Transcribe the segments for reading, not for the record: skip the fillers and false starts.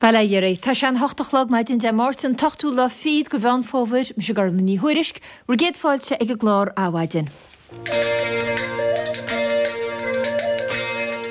Bail ó Dhia oraibh. Tá sé an hocht a chlog maidin Dé Máirt an t-ochtú lá fichead de Mheán Fómhair. Mise Gormlaith Ní Thuairisg, bhur gcéad fáilte ag an gclár Adhmhaidin.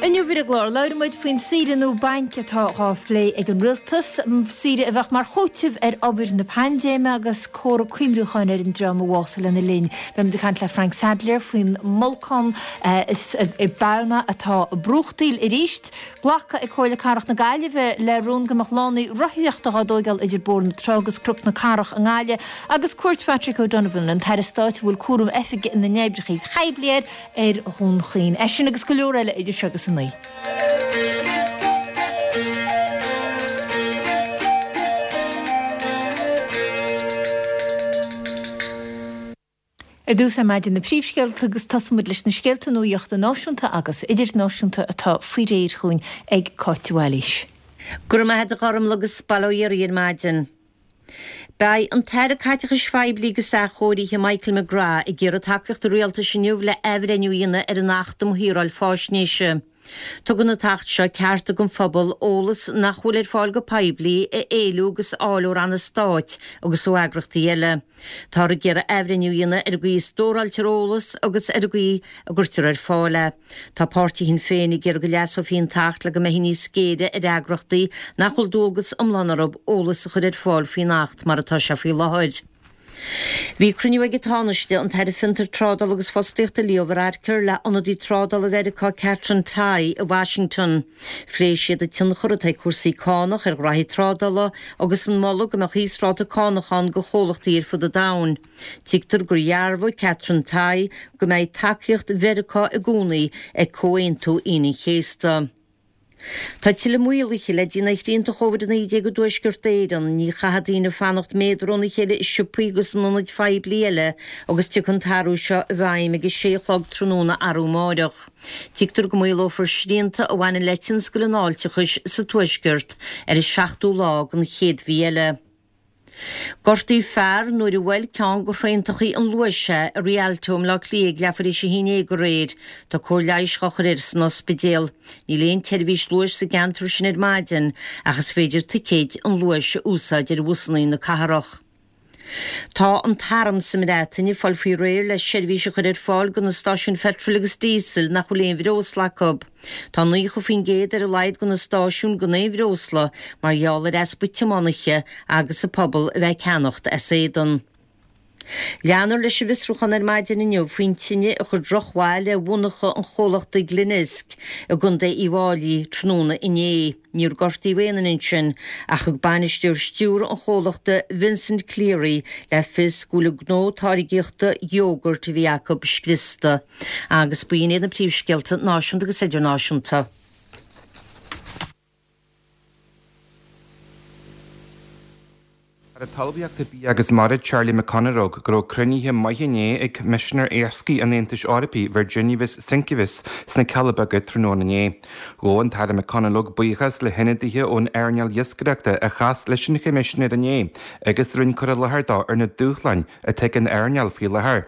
Inniu ar an gclár, labhróidh muid faoin saoire nua bainc atá dhá phlé ag an Rialtas, saoire a bheadh mar chúiteamh ar obair na paindéime agus comhartha cuimhniúcháin ar an dream a bhásaigh lena linn. Beidh muid ag caint le Frank Sadlier faoin mbolcán i bPalma atá ag brúchtaíl arís. Glactha ag Comhairle Cathrach na Gaillimhe le rún go mbeadh lánaí rothaíochta dhá dtóigeáil idir Bóthar na Trá agus Cnoc na Cathrach i nGaillimh agus cuairt Phatrick O'Donovan, an tAire Stáit a bhfuil cúram Oifig na nOibreacha Poiblí air, ar Dhún Chaoin. É sin agus go leor eile idir seo agus a 9. Ar dtús ar maidin na príomhscéalta agus tosóidh muid leis na scéalta nuaíochta náisiúnta agus idirnáisiúnta atá faoi réir chugainn ag Cáit de Bhailís. Go raibh maith agat a Ghormlaith agus bail ó Dhia oraibh ar maidin. Beidh an tAire Caiteachais Phoiblí agus Athchóirithe Michael McGrath ag iarraidh tacaíocht an Rialtais inniu le athbhreithniú a dhéanamh ar an Acht um Shaoráil Faisnéise. Tugann an tAcht seo cearta don phobal eolas nach bhfuil ar fáil go poiblí a éiliú agus a fháil ó ranna stáit agus ó eagrachtaí eile. Táthar ag iarraidh athbhreithniú a dhéanamh ar an gcaoi a stóráiltear eolas agus ar an gcaoi a gcuirtear ar fáil é. Tá páirtí Shinn Féin ag iarraidh go leasófaí an tAcht le go mbeifí níos géire ar eagrachtaí nach bhfuil dualgas iomlán orthu eolas a chur ar fáil faoin Acht mar atá sé faoi láthair. Bhí cruinniú ag an Tánaiste, an tAire Fiontar, Trádála agus Fostaíochta Leo Varadkar le hionadaí trádála Mheiriceá Katherine Tai i Washington. Phléigh siad an tionchar atá ag cúrsaí cánach ar ghraithí trádála agus an moladh go mbeadh íosráta cánach ann do chomhlachtaí ar fud an domhain. Tuigtear gur dhearbhaigh Katherine Tai go mbeidh tacaíocht Mheiriceá i gcónaí ag Comhaontú Aoine an Chéasta. Tá tuilleadh maoluithe le déanamh ar shrianta Chóvid-19 i dTuaisceart Éireann. Ní chaithfidh daoine fanacht méadar óna chéile i siopaí agus in ionaid phoiblí eile agus tiocfaidh an t-athrú seo i bhfeidhm ag a sé a chlog tráthnóna arú amáireach. Tuigtear go maolófar srianta a bhaineann le tionscal an fháilteachais sa Tuaisceart ar an seachtú lá den chéad mhí eile. Gortaíodh fear nuair a bhuail ceann de thraentachaí an Luais é i Rialto i mBleá Cliath ag leathuair théis a haon déag aréir. Tá cóir leighis dhá chur air san ospidéal. Níl aon tseirbhís Luais sa gceantar sin ar maidin ach is féidir ticéid an Luais a úsáid ar bhusanna na cathrach. Tá an tArm sa mBreatain ag fáil faoi réir le seirbhís a chur ar fáil do na stáisiúin pheitril agus díosail nach bhfuil aon bhreosla acu. Tá 90% ar a laghad de na stáisiúin gan aon bhreosla mar gheall ar easpa tiománaithe agus an pobal a bheith ag ceannacht as éadan. Leanfar leis an bhfiosrúchán ar maidin inniu faoin tine a chuir drochbhail ar mhonarcha an chomhlachta Glenisk i gContae Uíbh Fháilí tráthnóna inné. Níor gortaíodh aon duine ansin ach thug bainisteoir stiúrtha an chomhlachta Vincent Cleary le fios go bhfuil an gnó táirgeachta iógairt a bhí acu scriosta. Agus b'in iad na príomhscéalta náisiúnta agus idirnáisiúnta. Aire Talmhaíochta, Bia agus Mara Charlie McConalogue go raibh cruinnithe maithe inné ag Coimisinéir Iascaigh an Aontais Eorpaigh Virginijus Sinkevičius sna Cealla Beaga tráthnóna inné. Ghabh an tAire McConalogue buíochas le hionadaithe ón earnáil iascaireachta a chas leis an Choimisinéir inné agus a rinne cur i láthair dó ar na dúshláin atá ag an earnáil faoi láthair.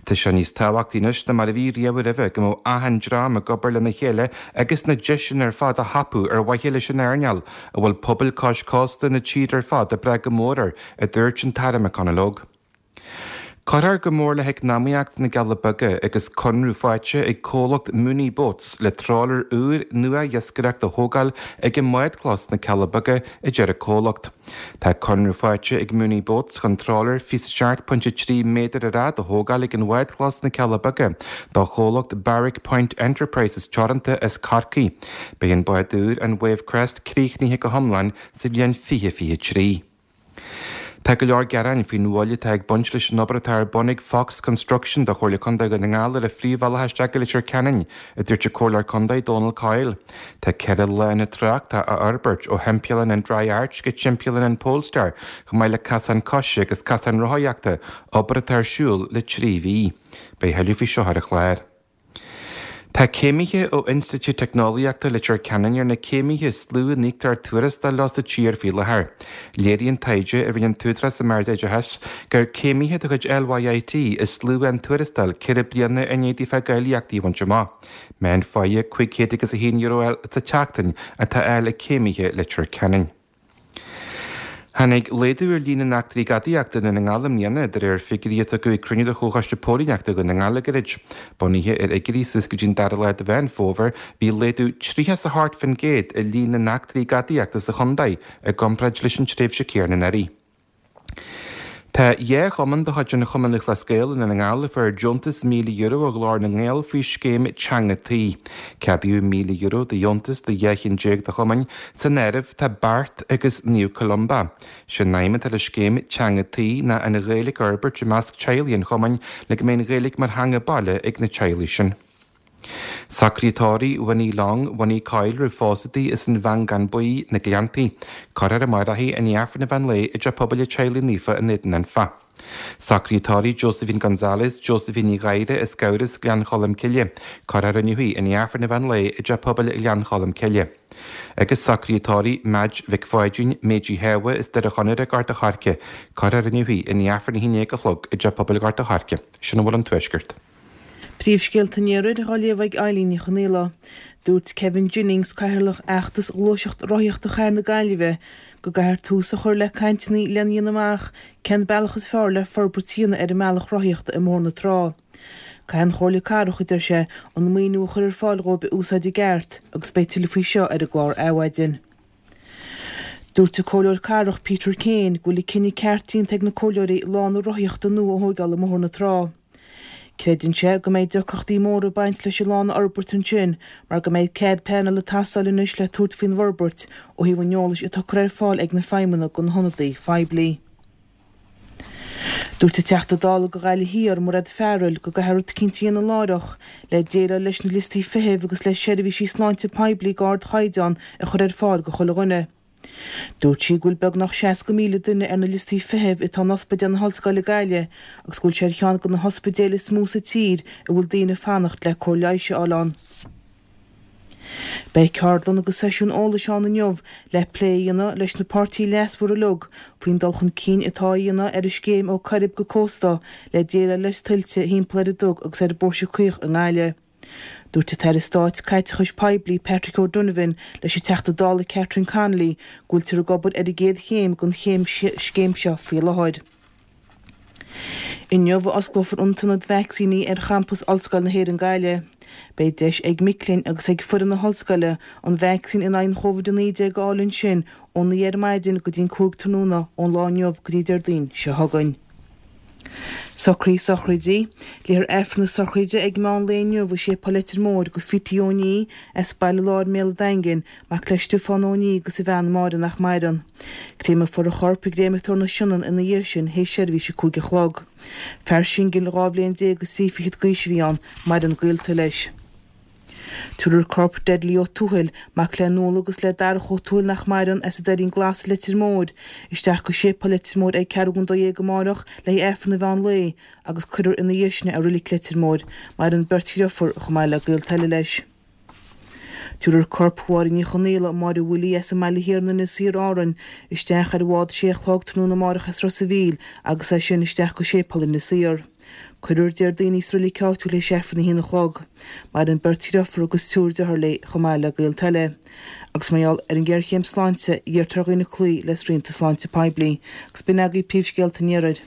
Tá sé níos tábhachtaí anois ná mar a bhí riamh roimhe go mbeadh achan dream ag obair lena chéile agus na deiseanna ar fad á thapú ar mhaithe leis an earnáil, a bhfuil pobail cois cósta na tíre ar fad ag brath go mór air, a dúirt an tAire McConalogue. Cuirfear go mór le heacnamaíocht na gCealla Beaga agus conradh faighte ag comhlacht Mooney Boats le trawler úr nua iascaireachta a thógáil ag an mbádchlós sna Cealla Beaga, a deir an comhlacht. Tá conradh faighte ag Mooney Boats chun trawler 27.3 méadar ar fhad a thógáil ag an bhádchlós sna Cealla Beaga do chomhlacht Barrack Point Enterprises Teoranta as Corcaigh. Beidh an bád úr, an Wave Crest, críochnaithe go hiomlán sa bhliain 2023. Tá go leor gearáin faoin mhoill atá ag baint leis an obair atá ar bun ag Fox Construction do Chomhairle Contae Dhún na nGall ar an phríomhbhealach isteach go Leitir Ceanainn, a dúirt an Comhairleoir Contae Dónal Coyle. Tá 4 lána tráchta á fhorbairt ó thimpeallán an Dry Arch go timpeallán an Polestar, chomh maith le casán coise agus casán rothaíochta, obair atá ar siúl le 3 mhí. Beidh thuilleadh faoi seo ar an chlár. Tá céimithe ó Institiúid Teicneolaíochta Leitir Ceanainn ar na céimithe is lú a n-íoctar tuarastal leo sa tír faoi láthair. Léiríonn taighde a rinne an tÚdarás um Ard-Oideachas gur céimithe de chuid LYIT is lú a fhaigheann tuarastal 4 bliana i ndiaidh daofa a gcáilíochtaí a bhaint amach. Meán pháighe €501 sa tseachtain atá á fháil ag céimithe Leitir Ceanainn. Tháinig laghdú ar líon na n-eachtraí gadaíochta i nDún na nGall i mbliana, de réir figiúirí a tugadh ag cruinniú de Chomhchoiste Póilíneachta Dhún na nGall le gairid. Bunaithe ar fhigiúirí suas go dtí an dara lá de Mheán Fómhair, bhí laghdú 38% i líon na n-eachtraí gadaíochta sa chontae i gcomparáid leis an tréimhse chéanna anuraidh. Tá 2 chumann de chuid an Chumann Lúthchleas Gael i nDún na nGall a fuair deontas €1,000 ó Ghlór na nGael faoi scéim Teanga Tí. Ceadaíodh €1,000 de dheontas do 12 chinn de chumainn, san áireamh tá Beart agus Naomh Columba. Sé an aidhm atá le scéim Teanga Tí ná an Ghaeilge a fhorbairt i measc teaghlaigh an chumainn le go mbeidh an Ghaeilge mar theanga baile ag na teaghlaigh sin. Socruithe tórraimh Winnie Long, Winnie Coyle roimh phósadh di as an Mheancán Buí, Na Gleanntaí. Cuirfear amárach í i ndiaidh Aifreann an mheán lae i dTeach Pobail an Teaghlaigh Naofa in Éadan Anfa. Socruithe tórraimh Josephine Gonzalez, Josephine Ní Ghadhra as Gabhras, Gleann Cholm Cille. Cuirfear inniu í i ndiaidh Aifreann an mheán lae i dTeach Pobail Ghleann Cholm Cille. Agus socruithe tórraimh Madge Mhic Pháidín, Méidí Shábha as Doire Chonaire, Gort a' Choirce. Cuirfear inniu í i ndiaidh Aifreann a 11 a chlog i dTeach Pobail Ghort a' Choirce. Sin a bhfuil ón Tuaisceart. Príomhscéalta an Iarthair á léamh ag Eileen Ní Chonaola. Dúirt Kevin Jennings, Cathaoirleach Fheachtas Ghluaiseacht Rothaíochta Chathair na Gaillimhe, go gcaithfear tús a chur le cainteanna lena dhéanamh amach cén bealach is fearr le forbairt a dhéanamh ar an mbealach rothaíochta i mBóthar na Trá. Caithfidh an Chomhairle Cathrach, a deir sé, an maoiniú a chur ar fáil dhóibh a úsáid i gceart agus beidh tuilleadh faoi seo ar an gclár Adhmhaidin. Dúirt an Comhairleoir Cathrach Peter Kane go bhfuil an cinneadh ceart déanta ag na comhairleoirí lána rothaíochta nua a thóigeáil i mBóthar na Trá. Creideann sé go mbeidh deacrachtaí móra ag baint leis an lána a fhorbairt ansin mar go mbeidh cead pleanála ag teastáil anois le tabhairt faoin bhforbairt ó thaobh an eolais atá curtha ar fáil ag na feidhmeannaigh do na hionadaithe phoiblí. Dúirt an Teachta Dála do Ghaillimh Thiar, Mairéad Farrell, go gcaithfear rud eicínt a dhéanamh láithreach le déileáil leis na liostaí feithimh agus le seirbhísí sláinte poiblí d'ardchaighdeán a chur ar fáil do chuile dhuine. Dúirt sí go bhfuil beagnach 60,000 duine ar na liostaí feithimh atá in Ospidéal na hOllscoile Gaillimh agus go bhfuil sé ar cheann de na hospidéil is mó sa tír a bhfuil daoine ag fanacht le cóir leighis a fháil ann. Beidh ceardlann agus seisiún eolais ann inniu le plé a dhéanamh leis na páirtithe leasmhara uilig faoin dul chun cinn atá á dhéanamh ar an scéim Ó Coirib go Cósta le déileáil le tuilte thimpeall ar an Dug agus ar an bPóirse Caoch i nGaillimh. Dúirt an tAire Stáit Caiteachais Poiblí Patrick O'Donovan leis an Teachta Dála Catherine Connolly go bhfuiltear ag obair ar an gcéad chéim den scéim seo faoi láthair. Inniu a osclófar an t-ionad vacsaíní ar champas Ollscoil na hÉireann Gaillimh. Beidh deis ag mic léinn agus ag foireann na hollscoile an vacsaín in aghaidh an Covid-19 a fháil ansin ó 9 ar maidin go dtí an 5 tráthnóna ón lá inniu go dtí Déardaoin seo chugainn. Socruithe sochraide. Léifear Aifreann na sochraide ag meán lae inniu i Séipéal Leitir Móir do Phítí Ó Ní as Baile Láir mBéal an Daingin, Mac le Stiofán Ó Ní agus a bhean Máire nach maireann. Créamfar a chorp i gCréamatóir na Sionainne ina dhiaidh sin théis seirbhís a 5 a chlog. Fear singil 12 bhliain is 23 fichead d'aois a bhí ann, maireann gaolta leis. Tabharfar corp Dudley Ó Tuathail, mac le Nuala agus le Darach Ó Tuathail nach maireann, as an Doirín Glas, Leitir Móir, isteach go Séipéal Leitir Móir ag ceathrú don 12 amárach le haghaidh Aifreann an mheán lae agus cuirfear ina dhiaidh sin é i Roilic Leitir Móir. Maireann beirt dhriofúr chomh maith le gaolta eile leis. Tabharfar corp Mháire Ní Chonaola, Máire Willie as an mBaile Thiar in Inis Oírr, Árainn, isteach ar bhád 6 a chlog tráthnóna amárach as Ros a' Mhíl agus as sin isteach go Séipéal Inis Oírr. Cuirfear Déardaoin í sa roilig áitiúil théis Aifreann a haon a chlog. Maireann beirt dhriofúr agus triúr dearthár léi chomh maith le gaolta eile. Agus mar gheall ar an ghéarchéim sláinte, iarrtar ar dhaoine cloí le srianta sláinte poiblí. Agus b'in agaibh príomhscéalta an Iarthair.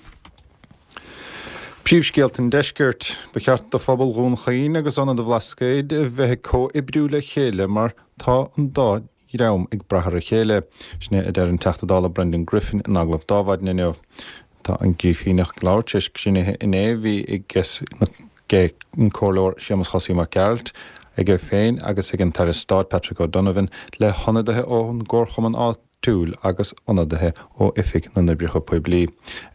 Príomhscéalta an Deiscirt. Ba cheart do phobal Dhún Chaoin agus Ionad an Bhlascaoid a bheith ag comhoibriú le chéile mar tá an dá dhream ag brath ar a chéile. Sin é a deir an Teachta Dála Brendan Griffin in agallamh d'Adhmhaidin inniu. Tá an Grífíneach ag labhairt tar éis cruinnithe inné a bhí ag an Comhairleoir Séamus Chosaí Mac Gearailt, aige féin agus ag an tAire Stáit Patrick O'Donovan le hionadaithe ón gComharchumann áitiúil agus ionadaithe ó Oifig na nOibreacha Poiblí.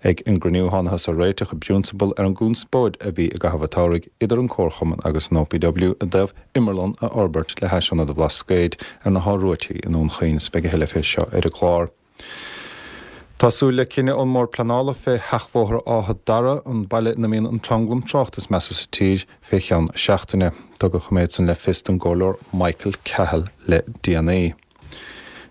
Ag an gcruinniú thánathas ar réiteach i bprionsabal ar an gconspóid a bhí i gcaitheamh an tsamhraidh idir an Comharchumann agus an OPW i dtaobh imearlann a fhorbairt le hais Ionad an Bhlascaoid ar na hAth Ruaití i nDún Chaoin is beidh a thuilleadh fé seo ar an gclár. Tá súil le cinneadh ón mBord Pleanála fé Sheachbhóthar Áth Dara, an baile ina mbíonn an tranglam tráchta is measa sa tír, fé cheann seachtaine. Tugadh an méid san le fios don gComhairleoir Michael Cahill le déanaí.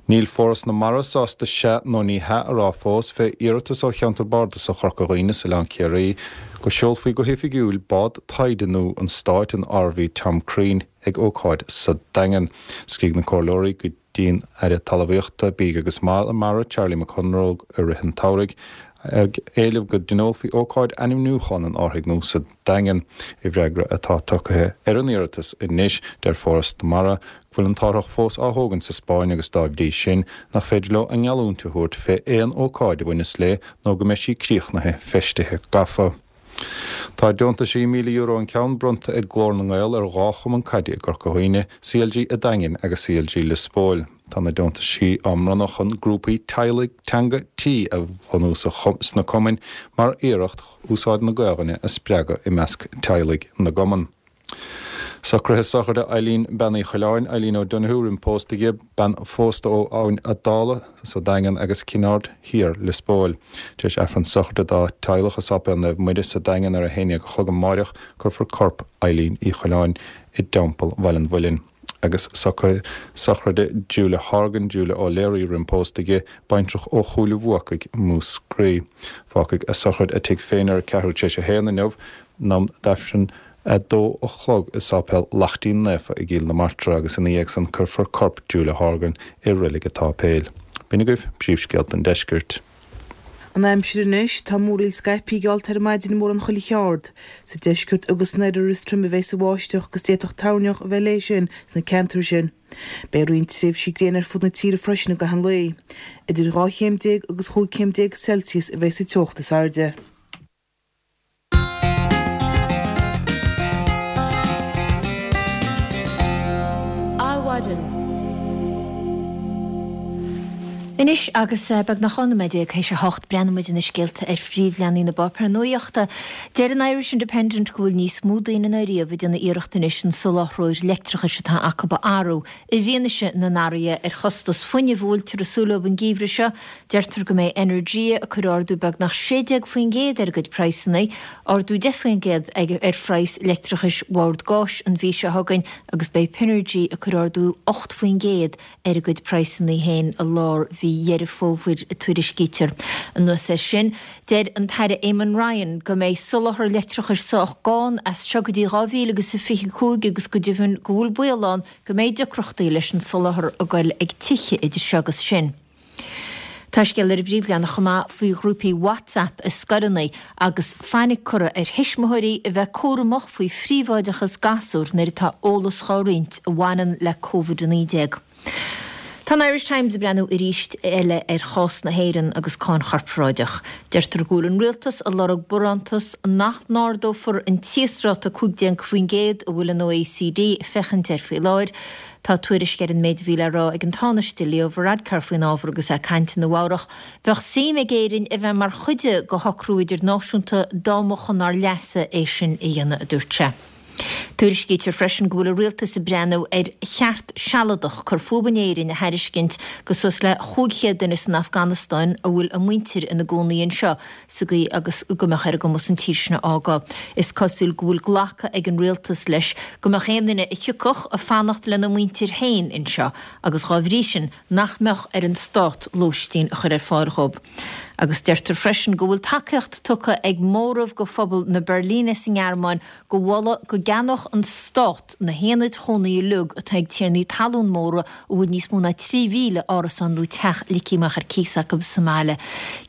Níl Foras na Mara sásta sea nó ní hea a rá fós fé iarratas ó Cheantar Bardasach Chorca Dhuibhne is Oileán Ciarraí go seolfaí go hoifigiúil bád taighde nua an stáit, an RV Tom Crean, ag ócáid sa Daingean. Scrígh na comhairleoirí go dtí'n Aire Talmhaíochta, Bídh agus Mara, Charlie McConalogue i rith an tsamhraidh ag éileamh go dtionólfaí ócáid ainmniúcháin an árthaigh nua sa Daingean. I bhfreagra atá tugtha ar an iarratas anois, deir Foras na Mara go bhfuil an t-árthach fós á thógaint sa Spáinn agus dá bhrí sin nach féidir leo a ngeallúint a thabhairt fé aon ócáid a bhaineas léi nó go mbeidh sí críochnaithe, feistithe, gafa. Tá deontaisí €1,000 an ceann bronnta ag Glór na nGael ar dhá chumann caide i gCorca Dhuibhne, CLG a' Daingin agus CLG Lios Póil. Tá na deontaisí á mbronnadh chun grúpaí teaghlaigh teanga tí a bhunú sna cumainn mar iarracht úsáid na Gaelainne a spreagadh i measc teaghlaigh na gcumann. Socruithe sochraide Eileen Bean Uí Choileáin, Eileen O'Donoghue, roim pósta di, bean phósta ó Abhainn a' Dála sa Daingean agus Cinn Aird Thiar, Lios Póil. Tar éis Aifreann sochraide dá teaghlach i Sáipéal Naomh Muire sa Daingean ar 11 a chlog amáireach, cuirfear corp Eileen Uí Choileáin i dTeampall Bhaile an Mhuilinn. Agus socruithe sochraide Julia Horgan, Julia O'Leary roim pósta di, baintreach ó Chúil a' Bhuacaigh, Múscraí. Fágfaidh a sochraid a tigh féin ar a ceathrú tar éis a haon inniu, in am d'Aifreann 2 a chlog i Sáipéal Laichtín Naofa i gCill na Martra agus ina dhiaidh san cuirfear corp Julia Horgan i Reilig an tSáipéil. B'in agaibh príomhscéalta an deiscirt. An aimsir anois, tá múraíl scaipthe geallta ar maidin i mórán chuile cheard. Sa deisceart agus san oirthear is troime a bheas an bháisteach agus d'fhéadfadh toirneach a bheith léi sin sna ceantair sin. Beidh roinnt tréimhsí gréine ar fud na tíre freisin i gcaitheamh an lae. Idir 12 chéim agus 15 chéim Celsius a bheas sa teocht is airde. Adhmhaidin. Anois agus beagnach 12 nóiméad théis a hocht, breathnóidh muid ar na scéalta ar phríomhleathanaigh na bpáipéar nuachta. Deir an Irish Independent go bhfuil níos mó daoine ná riamh ag déanamh iarracht anois an soláthróir leictreachais atá acu a athrú i bhfianaise na n-athruithe ar chostas fuinnimh a bhfuiltear ag súil leo an geimhreadh seo. Deirtear go mbeidh Energia ag cur ardú beagnach 16% ar a gcuid praghsanna, ardú 10% ar phraghas leictreachais Bhord Gáis an mhí seo chugainn agus beidh Pinergy ag cur ardú 8% ar a gcuid praghsanna féin i lár mhí Dheireadh Fómhair, a tuairiscítear. Anuas air sin, deir an tAire Eamon Ryan go mbeidh soláthar leictreachais sách gann as seo go dtí 2025 agus go deimhin go bhfuil baol ann go mbeidh deacrachtaí leis an soláthar ag goil ag tithe idir seo agus sin. Tá scéal ar an bpríomhleathanach chomh maith faoi ghrúpaí WhatsApp i scoileanna agus fainic curtha ar thuismitheoirí a bheith cúramach faoi phríobháideachas gasúr nuair atá eolas dhá roinnt a bhaineann le Covid-19. Tá an Irish Times ag breathnú arís eile ar chás na hÉireann agus cáin chorparáideach. Deirtear go bhfuil an rialtas ag lorg barántas nach n-ardófar an t-íosráta 15% a bhfuil an OECD ag féachaint air faoi láthair. Tá tuairisc ar an méid a bhí le rá ag an Tánaiste Leo Varadkar faoin ábhar agus é ag caint i Nua Eabhrach. Bheadh suim ag Éirinn a bheith mar chuid de shocrú idirnáisiúnta dá mba chun ár leasa é sin a dhéanamh, a dúirt sé. Tuairiscítear freisin go bhfuil an rialtas ag breathnú ar cheart sealadach cur fúthu in Éirinn a thairiscint go suas le 500 duine san Afganastáin a bhfuil a muintir ina gcónaí anseo. sa gcaoi agus go mbeadh ar a gcumas an tír sin a fhágáil. Is cosúil go bhfuil glactha ag an rialtas leis go mbeadh aon duine a thiocfadh ag fanacht lena muintir féin anseo agus dhá bhrí sin nach mbeadh ar an stát lóistín a chur ar fáil dhóibh. Agus deirtear freisin go bhfuil tacaíocht tugtha ag móramh go phobal na Beirlíne sa nGearmáin go mholadh go gceannódh an Stát na haonaid chónaí uilig atá ag tiarnaí talún móra a bhfuil níos mó ná 3,000 árasán nó teach ligthe amach ar cíos acu sa mbaile.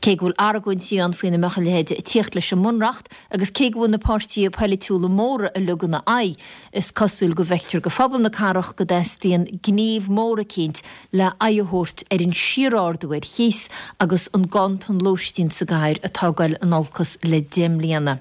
Cé go bhfuil argóintí ann faoina mbeadh a leithéid ag tíocht leis an mBunreacht agus cé go bhfuil na páirtithe poilitiúla móra uilig ina aghaidh, is cosúil go bhfeictear go phobal na cathrach go dteastaíonn gníomh mór eicínt le aghaidh a thabhairt ar an síorardú ar chíos agus an ganntan lóistín sa gcathair atá ag goil in olcas le 10 mbliana.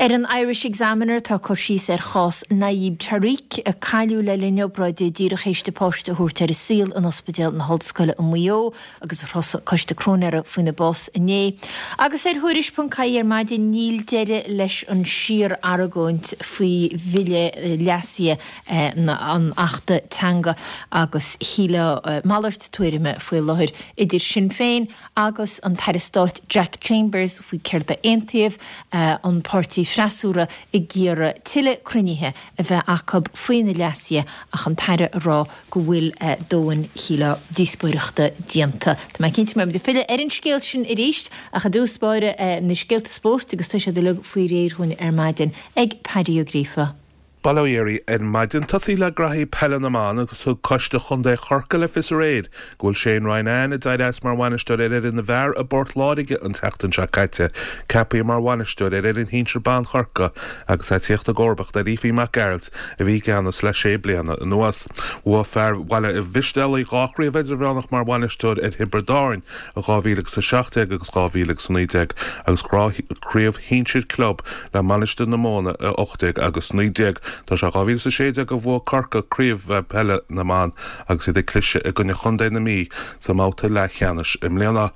Ar an Irish Examiner tá cur síos ar chás Najeeb Tariq, a cailleadh le linn obráide díreach théis di páiste a thabhairt ar an saol in Ospidéal na hOllscoile i Maigh Eo agus ar thosaigh Coiste Cróinéara faoina bás inné. Agus ar Thuairisc.ie ar maidin níl deireadh leis an síor-argóint faoi bhille leasaithe an Achta Teanga agus shílfeá malairt tuairime faoi láthair idir Sinn Féin agus an tAire Stáit Jack Chambers faoi céard a aontaíodh an páirtí. freasúra ag iarraidh tuilleadh cruinnithe a bheith acu faoi na leasuithe ach an tAire ag rá go bhfuil dóthain, shílfeá, díospóireachta déanta. Tá mé cinnte go mbeidh muid ag filleadh ar an scéal sin arís ach i dtús báire na scéalta spóirt agus tá siad uilig faoi réir dhúinn ar maidin ag Paddy Ó Gríofa. Bail ó Dhia oraibh ar maidin. Tosaí le graithí peile na mban agus thug Coiste Chontae Chorcaí le fios aréir go bhfuil Shane Ronayne, a d'éirigh as mar bhainisteoir ar fhoireann na bhfear i bPort Láirge an tseachtain seo caite, ceaptha mar bhainisteoir ar fhoireann shinsir ban Chorcaí agus é ag tíocht i gcomharbacht ar Aoife Mac Gearailt a bhí i gceannas le sé bliana anuas. Bhuaigh fear Bhaile Mhistéalaigh dhá chraobh idirmheánach mar bhainisteoir ar Thiobraid Árann i 2017 agus 2019 agus craobh shinsir club le Mainistir na Móna i 18 agus 19. Tá sé 2016 a bhuaigh Corcaigh craobh peile na mban agus iad ag cliseadh i gcoinne chontae na Mí sa mbabhta leathcheannais i mbliana.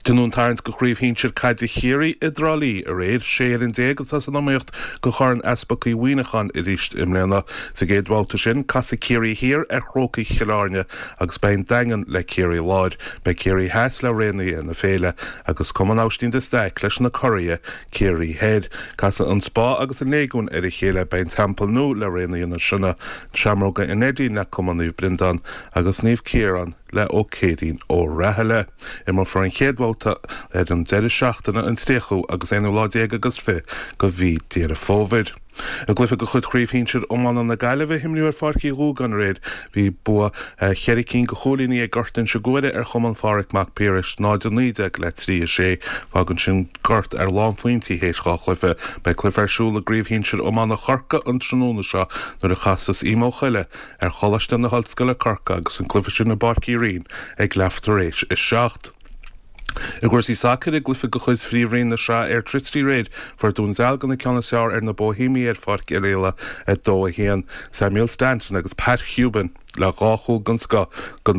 Déanadh an tarraingt do Chraobh Shinsir Caide Chiarraí i dTrá Lí aréir. 16 fhoireann atá san iomaíocht do Chorn Easpag Uí Mhuineacháin arís i mbliana. Sa gcéad bhabhta sin, casfaidh Ciarraí Thiar ar Chrócaigh Chill Airne agus beidh an Daingean le Ciarraí Láir. Beidh Ciarraí Theas le Raonaithe na Féile agus Cumann Aibhistín de Staic leis na curaidh, Ciarraí Thoir. Casfaidh an Spá agus an Léigiún ar a chéile, beidh an Teampall Nua le Raonaithe na Sionna, Seamróga an Neidín le Cumann Naomh Breandán agus Naomh Ciarán le Ó Céirín Ó Rathaille. Imreofar an chéad bhabhta ar an deireadh seachtaine an tríochú agus aonú lá déag agus fiche de mhí Deireadh Fómhair. I gcluiche de chuid Chraobh Shinsir Iomána na Gaillimhe a himríodh ar Pháirc Uí Dhúgáin aréir, bhí bua cheithre cinn de chúilíní ag Gort Inse Guaire ar Chumann Phádraig Mac Piarais, 0-19 le 3-6. Fágann sin Gort ar lánphointí théis dhá chluiche. Beidh cluiche ar siúl i gCraobh Shinsir Iomána Chorcaí an tráthnóna seo nuair a chasas Emo Choille ar Choláiste na hOllscoile Corcaigh agus an cluiche sin i bPáirc Uí Rinn ag leath tar éis a 7. I gcúrsaí sacair, i gcluiche de chuid Phríomhroinn na Sraithe Airtricity aréir, fuair Dún Dealgan an ceann is fearr ar na Bohemiaigh ar Pháirc Oirialla, 2-1. Samuel Stanton agus Pat Hoban le dhá chúl den scoth do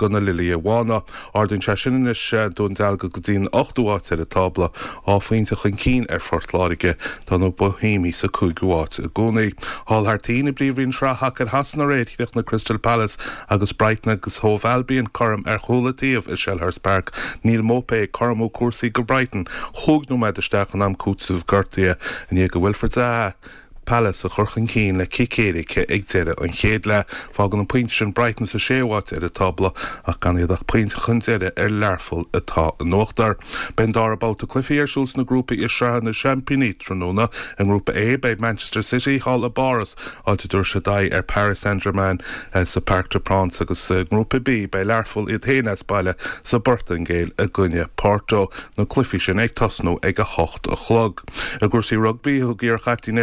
na Lilithe Bhána. Ardaíonn sé sin anois Dún Dealgan go dtí an ochtú háit ar an tábla, dhá phointe chun cinn ar Phort Láirge. Tá na Bohemiaigh sa cúigiú háit i gcónaí. Thall thar toinn i bPríomhroinn Shraith Shacair Shasana aréir, chríochnaigh Crystal Palace agus Brighton agus Hove Albion cothrom ar chúl an taobh i Selhurst Park. Neal Maupay ag cothromú cúrsaí do Brighton chúig nóiméad isteach in am cúitimh gortaithe i ndiaidh do Wilfried Zaha Palace a chur chun cinn le cic éirice ag deireadh an chéad leath. Fágann an pointe sin Brighton sa séú háit ar an tábla ach gan iad ach pointe chun deiridh ar Learpholl atá in uachtar. Beidh an dara babhta cluichí ar siúl sna grúpaí i Sraith na Seaimpíní tráthnóna. I nGrúpa A beidh Manchester City thall i bPáras áit a dtabharfaidh siad aghaidh ar Paris Saint-Germain sa Parc des Princes agus i nGrúpa B beidh Learpholl iad féin as baile sa bPortaingéil i gcoinne Porto, na cluichí sin ag tosnú ag 8 a chlog. I gcúrsaí rugbaí, thug iarchaiptín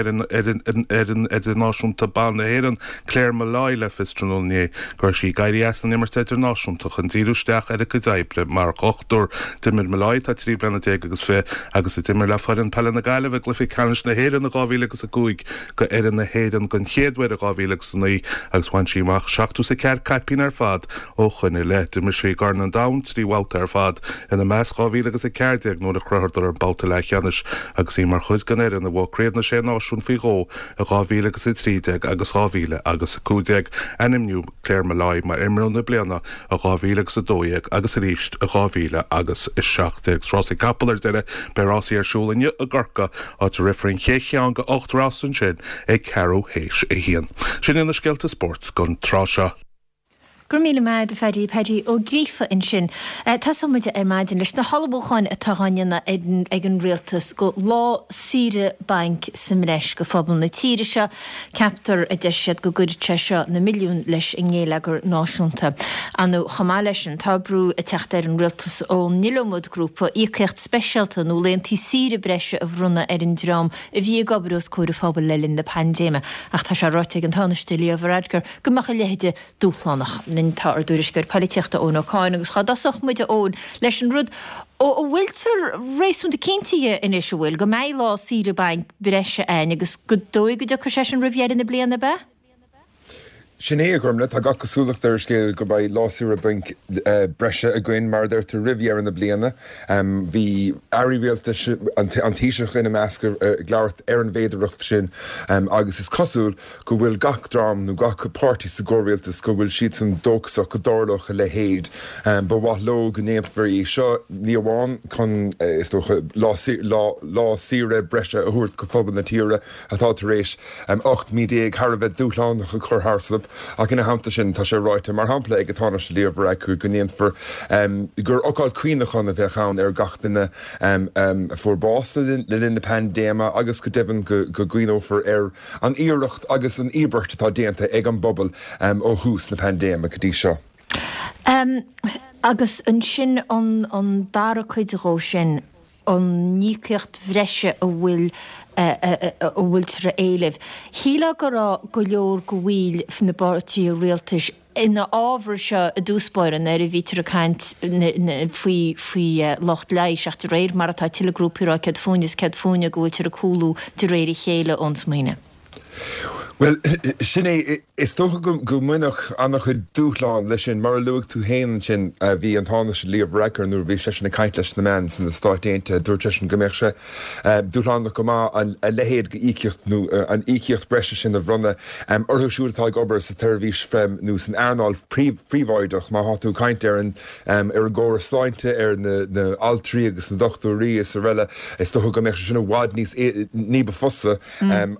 fhoireann idirnáisiúnta ban na hÉireann, Claire Molloy le fios tráthnóna inné go raibh sí ag éirí as an imirt idirnáisiúnta chun díriú isteach ar a cuid oibre mar dhochtúir. D'imir Molloy, atá 13 bliana agus fiche, agus a d'imir le foireann peile na Gaillimhe i gcluiche ceannais na hÉireann in 2005, go fhoireann na hÉireann den chéad uair i 2009 agus bhain sí amach 74 caipín ar fad ó shoin i leith. D'imir sí i gCorn an Domhain trí bhabhta ar fad, ina measc 2014 nuair a shroicheadar an babhta leathcheannais agus í mar chuid den fhoireann a bhuaigh Craobh na Sé Náisiún faoi dhó i 2013 agus 2015. Ainmníodh Claire Molloy mar Imreoir na Bliana i 2012 agus arís i 2017. Rásaí capall ar deireadh, beidh rásaí ar siúl inniu i gCorcaigh, áit a rithfear an chéad cheann de 8 rás ansin ag ceathrú théis a haon. Sin iad na scéalta spóirt don tráth seo. Go raibh míle maith agat a Phaddy, Paddy Ó Gríofa ansin. Tosóidh muid ar maidin leis na hullmhúcháin atá á ndéanamh ag an Rialtas go lá saoire bainc sa mbreis go phobal na tíre seo. Ceaptar, a deir siad, go gcuirfidh sé seo na milliúin leis an ngéilleagar náisiúnta. Ar ndóigh, chomh maith leis sin, tá brú ag teacht ar an rialtas ón iliomad grúpa íocaíocht speisialta nó laethanta saoire breise a bhronnadh ar an dream a bhí ag obair os comhair an phobail le linn na paindéime. Ach tá sé ráite ag an Tánaiste Leo Varadkar go mbeadh a leithéid dúshlánach. Linn tá ár dtuairisceoir poilitíochta Eoin Ó Cadhain agus dhá dtosódh muid a Eoin leis an rud a bhfuiltear réasúnta cinnte dhe anois, an bhfuil, go mbeidh lá saoire bainc breise ann agus gur dóigh go dtiocfaidh sé sin roimh dheireadh na bliana, ab ea? Sin é, a Ghormlaith, tá gach cosúlacht ar an scéal go mbeidh lá saoire bainc breise againn, mar a deir tú, roimh dheireadh na bliana. Bhí airí rialtais, an Taoiseach ina measc, ag labhairt ar an bhféidearthacht sin agus is cosúil go bhfuil gach dream nó gach páirtí sa gcomhrialtas, go bhfuil siadsan dóchasach go dtarlódh a leithéid. Ba mhaith leo go ndéanfar é seo, ní amháin chun, is dócha, lá saoire breise a thabhairt go phobal na tíre, atá tar éis 18 mí thar a bheith dúshlánach a chur tharstu, ach ina theannta sin, tá sé ráite, mar shampla, ag an Tánaiste Leo Varadkar go ndéanfar, gur ócáid cuimhneacháin a bheadh ann ar gach duine a fuair bás le linn na paindéime agus go deimhin go gcuimhneofar ar an iarracht agus an íobairt atá déanta ag an bpobal ó thús na paindéime go dtí seo. Agus ansin an dara cuid dhó sin, an íocaíocht bhreise a bhfuil a bhfuiltear a éileamh. Shílfeá go raibh go leor de bhaill na bpáirtithe rialtais ina fhábhar seo i dtús báire nuair a bhítear ag caint faoi faoi lucht leighis ach de réir mar atá tuilleadh grúpaí ag rá céard fúinne is céard fúinne go bhfuiltear ag cúlú de réir a chéile ón smaoineamh. Bhuel, sin é. Is dócha go mbainfeadh an-chuid dúshlán leis sin. Mar a luaigh tú féin ansin, bhí an Tánaiste Leo Varadkar, nuair a bhí seisean ag caint leis na meáin sna Stáit Aontaithe, dúirt seisean go mbeadh sé dúshlánach go maith a leithéid d'íocaíocht nó an íocaíocht breise sin a bhronnadh orthu siúd atá ag obair sa tseirbhís nó san earnáil phríobháideach. Má tá tú ag caint ar an ar an gcóras sláinte, ar na altraí agus na dochtúirí is araile, is dócha go mbeadh sé sin i bhfad níos ní ba fusa.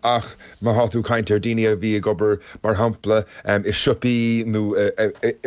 Ach má thá tú ag caint ar daoine a bhí ag obair, mar shampla, i siopaí nó,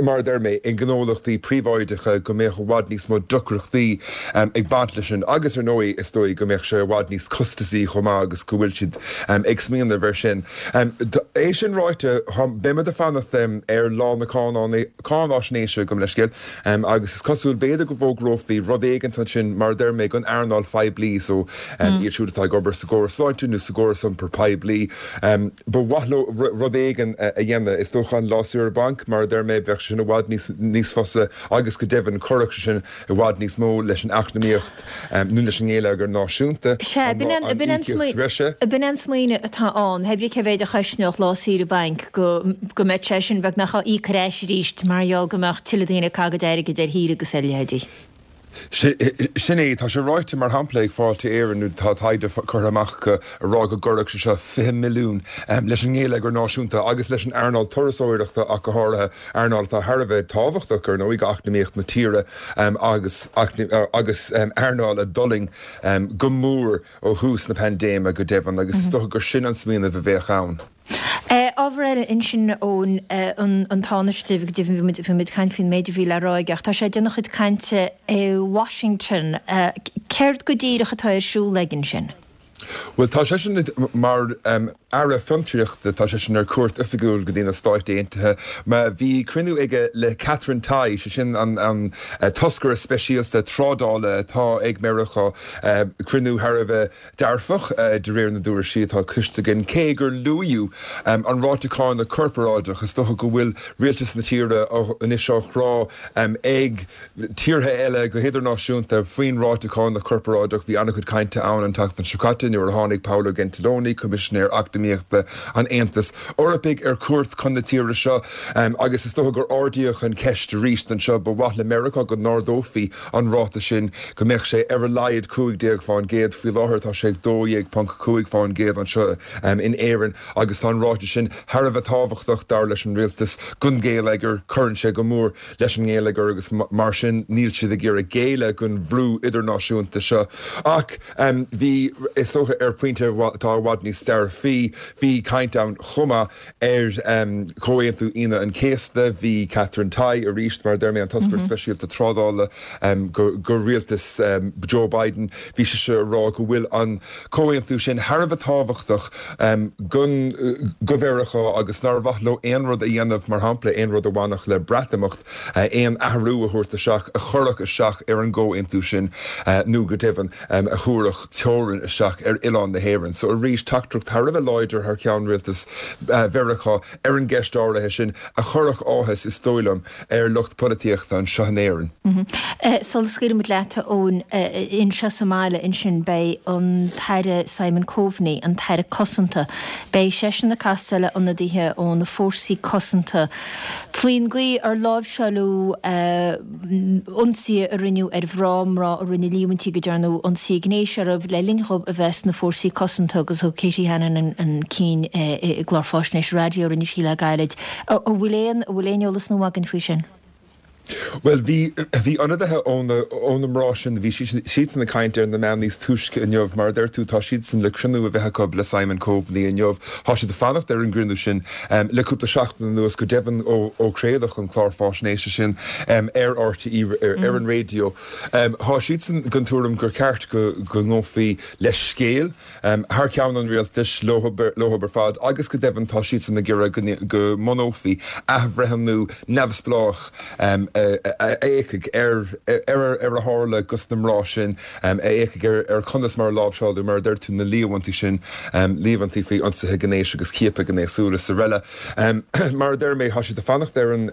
mar a deir mé, i ngnólachtaí príobháideacha, go mbeadh i bhfad níos mó deacrachtaí ag baint leis sin. Agus, ar ndóigh, is dóigh go mbeadh sé i bhfad níos costasaí chomh maith agus go bhfuil siad ag smaoineamh air sin. É sin ráite, beimid ag fanacht ar lá na cáináisnéise, gabh mo leithscéal. Agus is cosúil, b'fhéidir go bhfógrófaí rud éigint ansin, mar a deir mé, don earnáil phoiblí, so iad siúd atá ag obair sa gcóras sláinte nó sa gcóras iompair poiblí, ba mhaith leo rud éigin a dhéanamh. Is dócha an lá saoire bainc, mar a deir mé, bheadh sé sin i bhfad níos fusa agus go deimhin chuirfeadh sé sin i bhfad níos mó leis an eacnamaíocht nó leis an ngeilleagar náisiúnta, Sea, b'in an b'in an smaoineamh atá ann, hé brí cé mhéid a chosnódh lá saoire bainc, go go mbeadh sé sin beagnach á íoc ar ais arís mar gheall go mbeadh tuilleadh daoine ag caitheamh a gcuid airgid ar shaoire agus ar leithéidí. Sin é. Tá sé ráite, mar shampla, ag Fáilte Éireann, nó tá taighde curtha amach acu ag rá go gcuirfeadh sé seo 20 milliún leis an ngeilleagar náisiúnta agus leis an earnáil turasóireachta ach go háirithe, earnáil atá thar a bheith tábhachtach, ar ndóigh, d'eacnamaíocht na tíre agus agus earnáil a d'fhulaing go mór ó thús na paindéime, go deimhin, agus is dócha gur sin an smaoineamh a bheadh ann. Ábhar eile ansin ón an Tánaiste, go deimhin bhí muid bhí muid ag caint faoin méid a bhí le rá aige ach tá sé ag déanamh a chuid cainte i Washington. Céard go díreach atá ar siúl aige ansin? Bhuel, tá seisean mar Aire Fiontraíochta, tá seisean ar cuairt oifigiúil go dtí na Stáit Aontaithe. Bhí cruinniú aige le Katherine Tai, sé sin an toscaire speisialta trádála atá ag Meiriceá, cruinniú thar a bheith dearfach, de réir na dtuairiscí atá cloiste againn, cé gur luadh an ráta cánach corparáideach. Is dócha go bhfuil rialtas na tíre anois á chrá ag tíortha eile go hidirnáisiúnta faoin ráta cánach corparáideach. Bhí an-chuid cainte ann an tseachtain seo caite nuair a tháinig Paolo Gentiloni, Coimisinéir Eacnamaíochta an Aontais Eorpaigh, ar cuairt chun na tíre seo agus is dócha gur ardaíodh an cheist arís anseo. Ba mhaith le Meiriceá go n-ardófaí an ráta sin, go mbeadh sé ar a laghad 15%. Faoi láthair tá sé ag 12.5% anseo in Éirinn agus tá an ráta sin thar a bheith tábhachtach, dar leis an rialtas, don gheilleagar. Cuireann sé go mór leis an ngeilleagar agus mar sin níl siad ag iarraidh géilleadh don bhrú idirnáisiúnta seo. Ach bhí, is dócha, ar phointe atá i bhfad níos dearfaí, bhí caint ann chomh maith ar Chomhaontú Aoine an Chéasta. Bhí Katherine Tai arís, mar a deir mé, an toscaire speisialta trádála do rialtas Joe Biden, bhí sise ag rá go bhfuil an comhaontú sin thar a bheith tábhachtach do Mheiriceá agus nár mhaith leo aon rud a dhéanamh, mar shampla, aon rud a bhainfeadh le Breatimeacht, aon athrú a thabhairt isteach a chuirfeadh isteach ar an gcomhaontú sin nó go deimhin a thabharfadh teorainn isteach ar. ar oileán na hÉireann. So arís, teachtaireacht thar a bheith láidir thar ceann rialtas Mheiriceá ar an gceist áirithe sin a chuirfeadh áthas, is dóigh liom, ar lucht polaitíochta anseo in Éirinn. Sula scaoilfidh muid leat, a Eoin, anseo sa mbaile ansin beidh an tAire Simon Coveney, an tAire Cosanta, beidh seisean ag castáil le ionadaithe ó na fórsaí cosanta faoin gcaoi ar láimhseáladh ionsaithe a rinneadh ar mhná, mná a rinne líomhaintí go ndearnadh ionsaithe gnéis orthu le linn dhóibh a bheith sna fórsaí cosanta agus thug Katie Hannon an cinn i gclár faisnéise raidió a rinne sí le gairid. An bhfuil aon, an bhfuil aon eolas nua againn faoi sin? Bhuel, bhí, bhí ionadaithe ó na, ó na mná sin, bhí siadsan ag caint ar na meáin níos túisce inniu. Mar a deir tú, tá siadsan le cruinniú a bheith acu le Simon Coveney inniu. Tá siad ag fanacht ar an gcruinniú sin le cúpla seachtain anuas, go deimhin ó craoladh an clár fáisnéise sin ar RTÉ, ar an raidió. Tá siadsan den tuairim gur ceart go ngabhfaí leithscéal thar ceann an rialtais leo ar fad agus go deimhin tá siadsan ag iarraidh go mbunófaí athbhreithniú neamhspleách a fhéachfaidh ar ar a tharla dos na mná sin, a fhéachfaidh ar conas mar a láimhseáladh, mar a deir tú, na líomhaintí sin, líomhaintí faoi ionsaithe gnéis agus ciapadh gnéasúil is araile. Mar a deir mé, tá siad ag fanacht ar an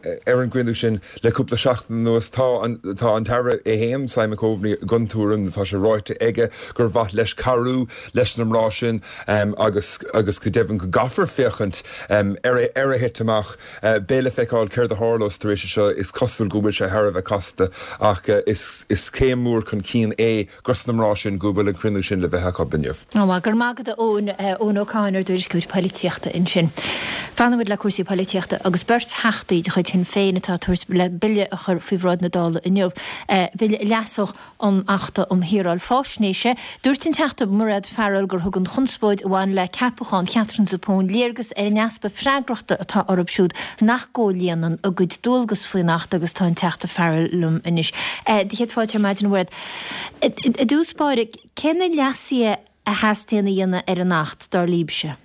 gcruinniú sin le cúpla seachtain anuas. Tá an tá an tAire é féin, Simon Coveney, den tuairim, nó tá sé ráite aige, gur mhaith leis cabhrú leis na mná sin agus agus go deimhin go gcaithfear féachaint ar ar a thit amach. Beidh le feiceáil céard a tharlós tar éis seo. Is cosúil go bhfuil sé thar a bheith casta ach is is céim mhór chun cinn é dos na mná sin go bhfuil an cruinniú sin le bheith acu inniu. Go raibh maith agat a Eoin, Eoin Ó Catháin ár dtuairisceoir polaitíochta ansin. Fanfaidh muid le cúrsaí polaitíochta agus beirt Theachtaí de chuid Shinn Féin atá ag tabhairt le bille a chur faoi bhráid na Dála inniu, bille a leasódh an Achta um Shaoráil Faisnéise. Dúirt an Teachta Mairéad Farrell gur thug an chonspóid a bhain le ceapachán Chatherine Zappone léargas ar an easpa freagrachta atá orthu siúd nach gcomhlíonann a gcuid dualgas faoin Acht agus tá an Teachta Farrell liom anois. Do chéad fáilte ar maidin, a Mhairéad. I dtús báire, cé na leasuithe a theastaíonn a dhéanamh ar an Acht, dar libhse?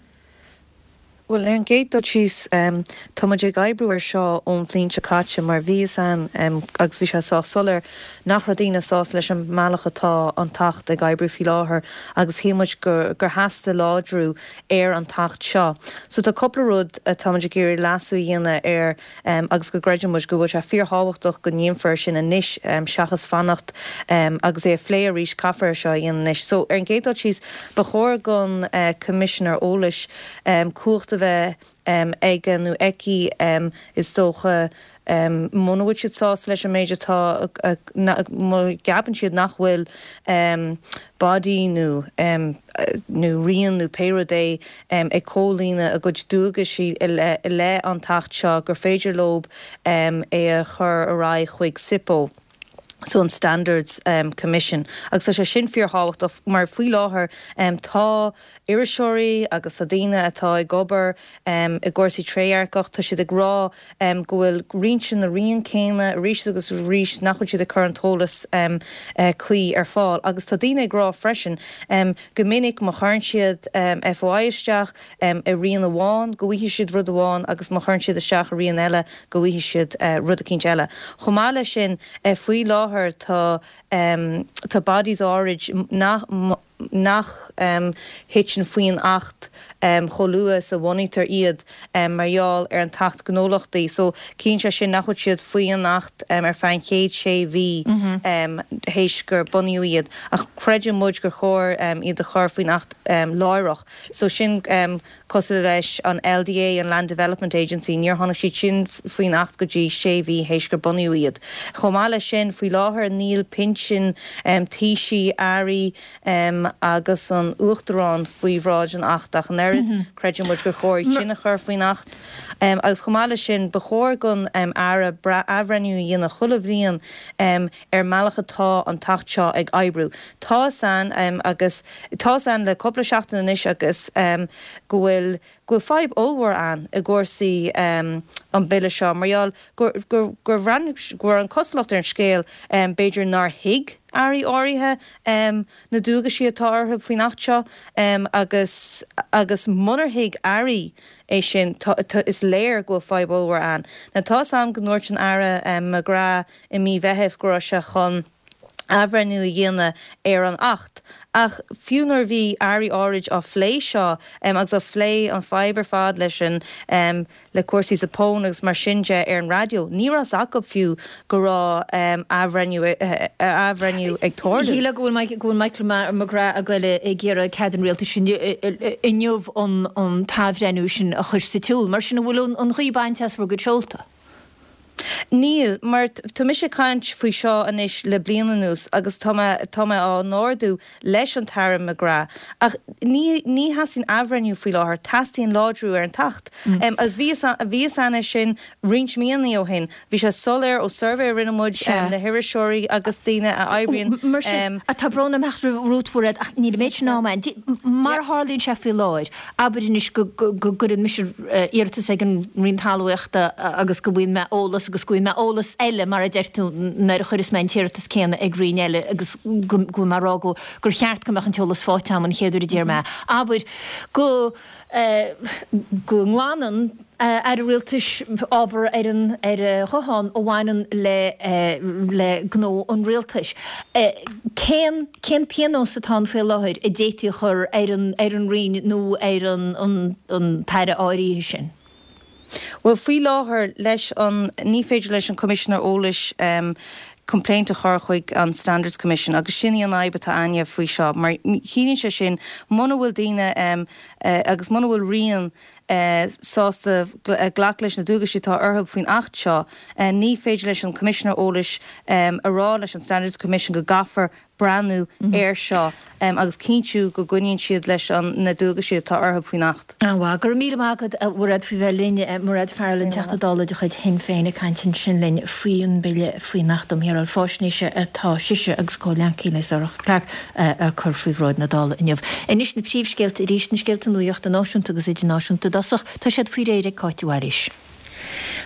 Bhuel, ar an gcéad dul síos, tá muid ag oibriú air seo ón bhliain seo caite mar bhí fhios a'inn agus bhí sé sách soiléir nach raibh daoine sásta leis an mbealach atá an tAcht ag oibriú faoi láthair agus shíl muid gur theastaigh láidriú ar an tAcht seo. So tá cúpla rud atá muid ag iarraidh leasú a dhéanamh air agus go gcreideann muid go bhfuil sé fíorthábhachtach go ndéanfar é sin anois seachas fanacht agus é a phlé arís, caithfear é seo a dhéanamh anois. So, ar an gcéad dul síos, ba chóir don Choimisinéir Eolais cumhacht a bheith aige nó aici, is dócha, muna bhfuil siad sásta leis an méid atá, má cheapann siad nach bhfuil body nó nó rian nó pé rud é ag comhlíonadh a gcuid dualgaisí i leith an tAcht seo gur féidir leo é a chur ar aghaidh chuig SIPO, so an Standards Commission. Agus tá sé sin fíorthábhachtach mar faoi láthair tá iriseoirí agus tá daoine atá ag obair i gcúrsaí trédhearcacht, tá siad ag rá go bhfuil roinnt de na rian céanna arís agus arís nach bhfuil siad ag cur an t-eolas cuí ar fáil. Agus tá daoine ag rá freisin go minic má chuireann siad FOI isteach i rian amháin go bhfaighidh siad rud amháin agus má chuireann siad isteach i rian eile go bhfaighidh siad rud eicínt eile. Chomh maith leis sin, faoi láthair tá tá bodies áirid nach nach thiteann faoin Acht chomh luath is a bhunaítear iad mar gheall ar an tAcht Gnólachtaí. So, ciallaíonn sé sin nach bhfuil siad faoi an Acht ar feadh an chéad sé mhí théis gur bunaíodh iad. Ach creideann muid gur chóir iad a chur faoin Acht láithreach. So, sin cosúil leis an LDA, an Land Development Agency, níor tháinig siad sin faoin Acht go dtí sé mhí théis gur bunaíodh iad. Chomh maith leis sin, faoi láthair níl pinsin taoisigh, airí agus an Uachtaráin faoi bhráid an Acht ach an oiread. Creideann muid gur chóir iad sin a chur faoin Acht. Agus chomh maith leis sin, ba chóir don Aire athbhreithniú a dhéanamh chuile bhliain ar an mbealach atá an tAcht seo ag oibriú. Tá fhios a'inn agus tá fhios a'inn le cúpla seachtain anois agus go bhfuil go bhfuil fadhb ollmhór ann i gcúrsaí an bhille seo mar gheall gur gur gur bhreathnaigh go raibh an cosúlacht ar an scéal b'fhéidir nár thuig airí áirithe na dualgaisí atá orthu faoin Acht seo agus agus munar thuig airí é sin tá is léir go bhfuil fadhb ollmhór ann. Now tá fhios a'm go ndúirt an Aire McGrath i mí Mheithimh go raibh sé chun. Athbhreithniú a dhéanamh ar an Acht. Ach fiú nuair a bhí airí áirid á phlé seo agus á phlé an fadhb ar fad leis an le cúrsaí Zappone agus mar sin de ar an raidió, ní raibh fhios acu fiú go raibh athbhreithniú athbhreithniú ag tarlú. Shílfeá go bhfuil go bhfuil Michael McGrath ag goil ag iarraidh cead an rialtais inniu an t-athbhreithniú sin a chur sa tsiúl. Mar sin an bhfuil an ghaoth bainte as bhur gcuid seolta? Níl, mar tá mise ag caint faoi seo anois le bliain anuas agus tá mé, tá mé á n-ardú leis an tAire McGrath. Ach ní, ní theastaíonn athbhreithniú faoi láthair, teastaíonn láidriú ar an tAcht. Agus bhí fhios, bhí fhios a'inn é sin roinnt míonna ó shin. Bhí sé soiléir ó suirbhé a rinne muid le hiriseoirí agus daoine a oibríonn. Mar sin, tá brón orm theacht romhat, Mhairéad, ach níl an méid sin ama a'inn. Mar a tharlaíonn sé faoi láthair, Abair anois go gcuireann mise iarratas ag an Roinn Talmhaíochta agus go bhfaigheann mé eolas agus go bhfaigheann mé eolas eile, mar a deir tú, nuair a chuireas mé an t-iarratas céanna ag Roinn eile agus go bhfuil mé ag rá go gur cheart go mbeadh an t-eolas faighte agam an chéad uair a d'iarr mé. Abair go go nglanann Aire Rialtais ábhar ar an ar a ghuthán a bhaineann le le gnó an Rialtais. Cén cén pionós atá ann faoi láthair a d'fhéadfaí a chur ar an ar an Roinn nó ar an an an tAire áirithe sin? Bhuel, faoi láthair, leis an, ní féidir leis an Coimisinéir Eolais complaint a chur chuig an Standards Commission agus sin í an fhadhb atá a'inne faoi seo mar ciallaíonn sé sin muna bhfuil daoine agus muna bhfuil rian sásta glacadh leis na dualgaisí atá orthu faoin Acht seo, ní féidir leis an Choimisinéir Eolais a rá leis an Standards Commission go gcaithfear breathnú air seo agus cinntiú go gcoinníonn siad leis na dualgaisí atá orthu faoin Acht. An-mhaith. Go raibh míle maith agat, a Mhairéad, faoi bheith linn. Mairéad Farrell, an Teachta Dála de chuid Shinn Féin, ag caint ansin linn faoi an mBille faoin Acht um Shaoráil Faisnéise atá sise agus comhghleacaí léi Sorcha Clarke a cur faoi bhráid na Dála inniu. Anois na príomhscéalta arís, na scéalta nuachta náisiúnta agus idirnáisiúnta i dtosach. Tá siad faoi réir ag Cáit de Bhailís.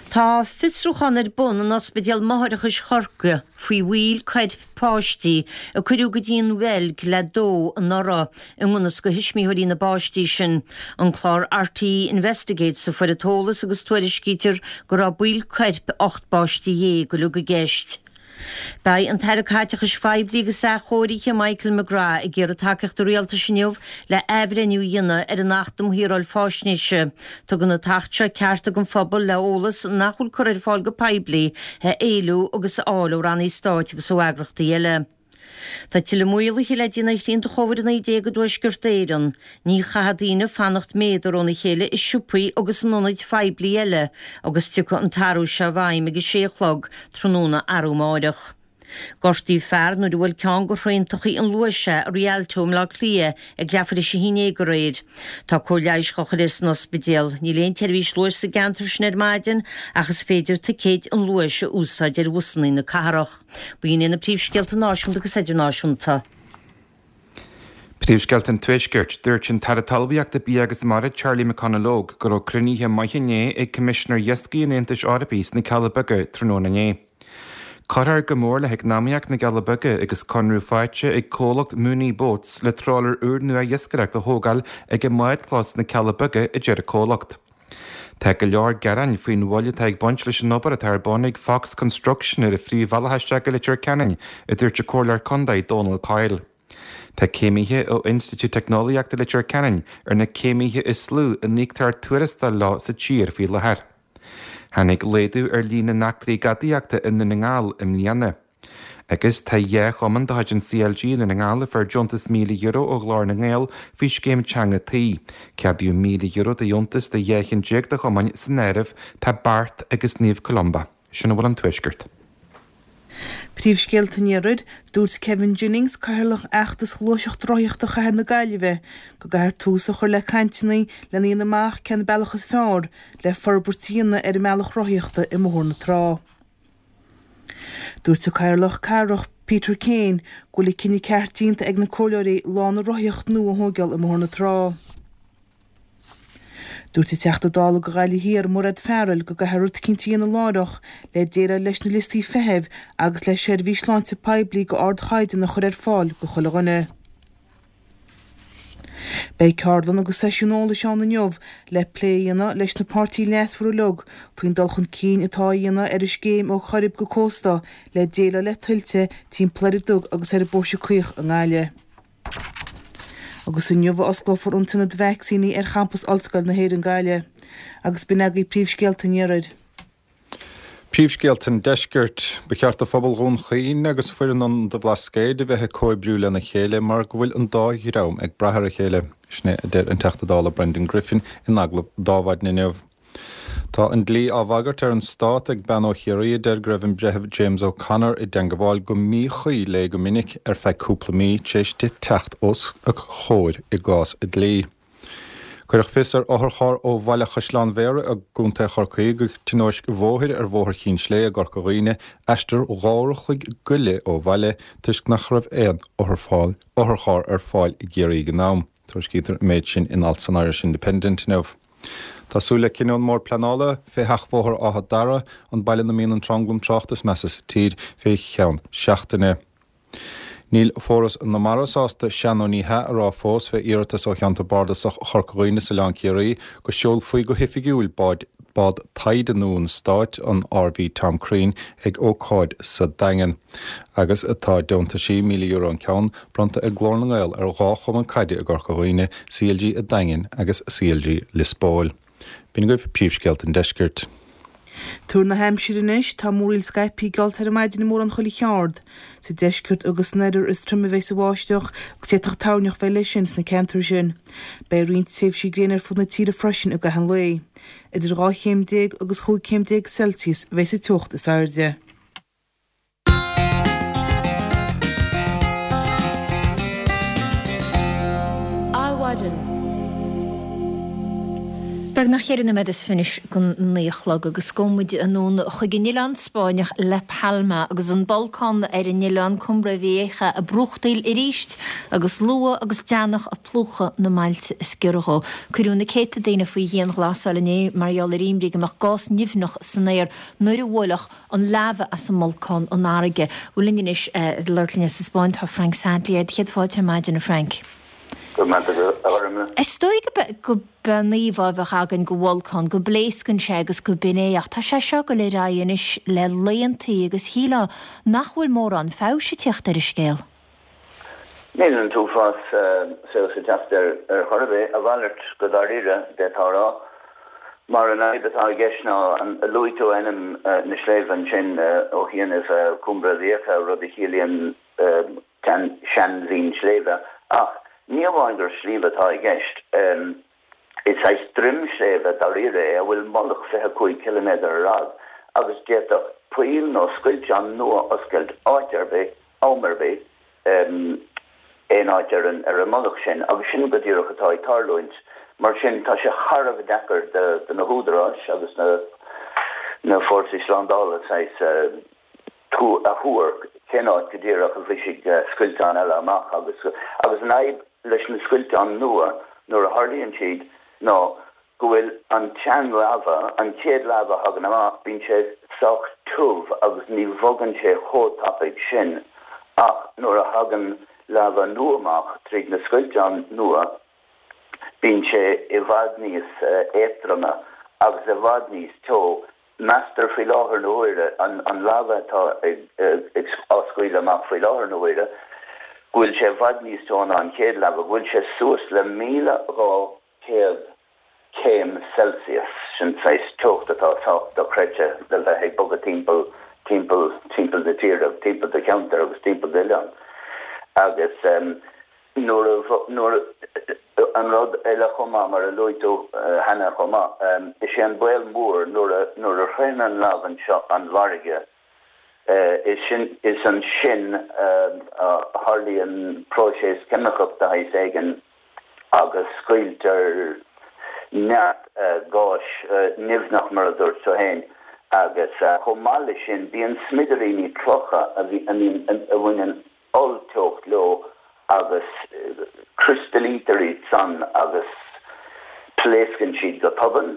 Tá fiosrúchán ar bun in Ospidéal Máithreachais Chorcaí faoi bhaill coirp páistí a cuireadh go dtí an Bheilg le dó anuraidh, i ngan fhios do thuismitheoirí na bpáistí sin. An clár RTÉ Investigates a fuair an t-eolas agus tuairiscítear go raibh baill coirp 18 bpáiste uilig i gceist. Beidh an tAire Caiteachais Phoiblí agus Athchóirithe Michael McGrath ag iarraidh tacaíocht an Rialtais inniu le athbhreithniú a dhéanamh ar an Acht um Shaoráil Faisnéise. Tugann an tAcht seo cearta don phobal le eolas nach bhfuil curtha ar fáil go poiblí a éiliú agus a fháil ó rannaí stáit agus ó eagrachtaí eile. Tá tuilleadh maolaithe le déanamh ar shrianta Chóvid-19 i dTuaisceart Éireann. Ní chaithfidh daoine fanacht méadar óna chéile i siopaí agus in ionaid phoiblí eile agus tiocfaidh an t-athrú seo i bhfeidhm ag a sé a chlog tráthnóna arú amáireach. Gortaíodh fear nuair a bhuail ceann de thraentachaí an Luais é i Rialto i mBleá Cliath ag leathuair théis a 11 aréir. Tá cóir leighis dhá chur air san ospidéal. Níl aon tseirbhís Luais sa gceantar sin ar maidin ach is féidir ticéid an Luais a úsáid ar bhusanna na cathrach. B'in iad na príomhscéalta náisiúnta agus idirnáisiúnta. Príomhscéalta an Tuaiscirt. Dúirt an tAire Talmhaíochta, Bia agus Mara, Charlie McConalogue, go raibh cruinnithe maithe inné ag Coimisinéir Iascaigh an Aontais Eorpaigh sna Cealla Beaga tráthnóna inné. Cuirfear go mór le heacnamaíocht na gCealla Beaga agus conradh faighte ag comhlacht Mooney Boats le trálaer úrnua iascaireachta a thógáil ag a mbádchlós sna Cealla Beaga, a deir an comhlacht. Tá go leor gearáin faoin mhoill atá ag baint leis an obair atá ar bun ag Fox Construction ar an phríomhbhealach isteach go Leitir Ceanainn, a dúirt an Comhairleoir Contae Dónal Coyle. Tá céimithe ó Institiúid Teicneolaíochta Leitir Ceanainn ar na céimithe is lú a n-íoctar tuarastal leo sa tír faoi láthair. Tháinig laghdú ar líon na n-eachtraí gadaíochta i nDún na nGall i mbliana. Agus tá 2 chumann de chuid an CLG i nDún na nGall a fuair deontas €1,000 ó Ghlór na nGael faoi Scéim Teanga Tí. Ceadaíodh €1,000 de dheontas do 12 chinn de chumainn, san áireamh tá Beart agus Naomh Columba. Sin a bhfuil ón Tuaisceart. Príomhscéalta an Iarthair, Dúirt Kevin Jennings, Cathaoirleach Fheachtas Ghluaiseacht Rothaíochta Chathair na Gaillimhe, go gcaithfear tús a chur le cainteanna lena dhéanamh amach cén bealach is fearr le forbairt a dhéanamh ar an mbealach rothaíochta i mBóthar na Trá. Dúirt an Cathaoirleach Cathrach Peter Kane go bhfuil an cinneadh ceart déanta ag na comhairleoirí lána rothaíochta nua a thóigeáil i mBóthar na Trá. Dúirt an Teachta Dála do Ghaillimh Thiar, Mairéad Farrell, go gcaithfear rud eicínt a dhéanamh láithreach le déileáil leis na liostaí feithimh agus le seirbhís sláinte poiblí d'ardchaighdeán a chur ar fáil do chuile dhuine. Beidh ceardlann agus seisiún eolais ann inniu le plé a dhéanamh leis na páirtithe leasmhara uilig faoin dul chun cinn atá á dhéanamh ar an scéim Ó Choirib go Cósta le déileáil le tuilte timpeall ar an Dug agus ar an bPóirse Caoch i nGaillimh. Agus inniu a osclófar an t-ionad vacsaíní ar champas Ollscoil na hÉireann Gaillimh. Agus b'in agaibh príomhscéalta an Iarthair. Príomhscéalta an Deiscirt. Ba cheart do phobal Dhún Chaoin agus foireann Ionad an Bhlascaoid a bheith ag comhoibriú lena chéile mar go bhfuil an dá dhream ag brath ar a chéile. Sin é a deir an Teachta Dála Brendan Griffin in agallamh d'Adhmhaidin inniu. Tá an dlí á bhagairt ar an Stát ag bean ó Chiarraí a deir go raibh an Breitheamh James O'Connor i dteangabháil go míchuí léi go minic ar feadh cúpla mí tar éis di teacht os a chomhair i gcás dlí. Cuireadh fios ar otharcharr ó bhaile Chaisleán Bhéarra i gContae Chorcaí go tionóisc bhóthair ar Bhóthar Chinn Slé i gCorca Dhuibhne, aistear dhá uair a chloig go leith ó bhaile, toisc nach raibh aon otharcharr ar fáil i gCiarraí ag an am. Tuairiscítear an méid sin in alt san Irish Independent inniu. Tá súil le cinneadh ón mBord Pleanála fé sheachbhóthar Áth Dara, an baile ina mbíonn an tranglam tráchta is measa sa tír, fé cheann seachtaine. Níl Foras na Mara sásta sea nó ní hea a rá fós fé iarratas ó Cheantar Bardasach Chorca Dhuibhne is Oileán Ciarraí go seolfaí go hoifigiúil bád bád taighde nua an stáit, an RV Tom Crean, ag ócáid sa Daingean. Agus tá deontaisí, €1,000 an ceann, bronnta ag Glór na nGael ar dhá chumann caide i gCorca Dhuibhne, CLG a' Daingin agus CLG Lios Póil. B'in agaibh príomhscéalta an deiscirt. Tuar na haimsire anois, tá múraíl scaipthe geallta ar maidin i mórán chuile cheard. Sa deisceart agus san oirthear is troime a bheidh an bháisteach agus d'fhéadfadh toirneach bheith leis sin sna ceantair sin. Beidh roinnt tréimhsí gréine ar fud na tíre freisin i gcaitheamh an lae. Idir 12 chéim agus 15 chéim Celsius a bheidh sa teocht is airde. Adhmhaidin. Beagnach cheithre nóiméad is fiche don naoi a chlog agus gabhfaidh muid anonn chuig an oileán Spáinneach La Palma agus an bolcán ar an oileán Cumbre Vieja ag brúchtaíl arís agus luaith agus deannach ag plúchadh na mbailte is giorra dhó. Cuireadh na céadta daoine faoi dhianghlasáil inné mar gheall ar imní go mbeadh gás nimhneach san aer nuair a bhuailfeadh an laibhe as an mbolcán an fharraige. Bhuel linn anois ag labhairt linn as an Spáinn tá Frank Sadlier. Céad fáilte ar maidin a Frank. Go raibh maith agat a Ghormfhlaith. Is dóigh go b'é an íomhá a bheadh againn de bholcán, go bpléascann sé agus go b'in é, ach tá sé seo ag dul ar aghaidh anois le laethantaí agus shílfeá nach bhfuil mórán feabhais ag tíocht ar an scéal. Níl an t-uafás feabhas ag teacht air ar chor ar bith, a mhalairt go dáiríre, d'fhéadfá a rá. Mar an fhadhb atá i gceist ná, luaigh tú ainm na sléibhe ansin ó chianaibh, Cumbre Vieja, rud a chiallaíonn seanbhinn sléibhe, ach ní amháin gur sliabh atá i gceist, Is saghas droim sléibhe dáiríre é a bhfuil mullach 25 ciliméadar ar fhad agus d'fhéadfadh poill nó scoilteán nua oscailt áit ar bith, am ar bith, aon áit ar an ar an mullach sin agus sin go díreach atá ag tarlúint. Mar sin tá sé thar a bheith deacair do na húdaráis agus na na fórsaí slándála saghas a thuar cén áit go díreach a bhrisfidh scoilteán eile amach agus agus an fhadhb leis na scoilteáin nua nuair a tharlaíonn siad ná go bhfuil an tsean-laibhe, an chéad laibhe a thagann amach, bíonn sé sách tiubh agus ní bhogann sé chomh tapaidh sin ach nuair a thagann laibhe nua amach tríd na scoilteáin nua bíonn sé i bhfad níos éadtroime agus i bhfad níos teo Meastar faoi láthair na huaire, an laibhe atá á scaoileadh amach faoi láthair na huaire, go bhfuil sé i bhfad níos teo ná an chéad laibhe, go bhfuil sé suas le 1,200 céim Celsius, sin saghas teocht atá sách dochreidte le bheith ag bogadh timpeall, timpeall, timpeall na tíre, timpeall do cheantair agus timpeall d'oileáin. Agus. Nuair a, nuair a, an rud eile chomh maith, mar a luaigh tú cheana chomh maith, is é an baol mór nuair a, nuair a shroicheann an laibh anseo an bhfarraige, is sin, is ansin a tharlaíonn próiseas ceimiceach de shaghas éigin agus scaoiltear neart gáis nimhneach, mar a dúirt tú féin, agus chomh maith leis sin bíonn smidiríní clocha a bhí, a mbíonn, a bhaineann ollteocht leo agus criostalítear iad san agus pléascann siad go tobann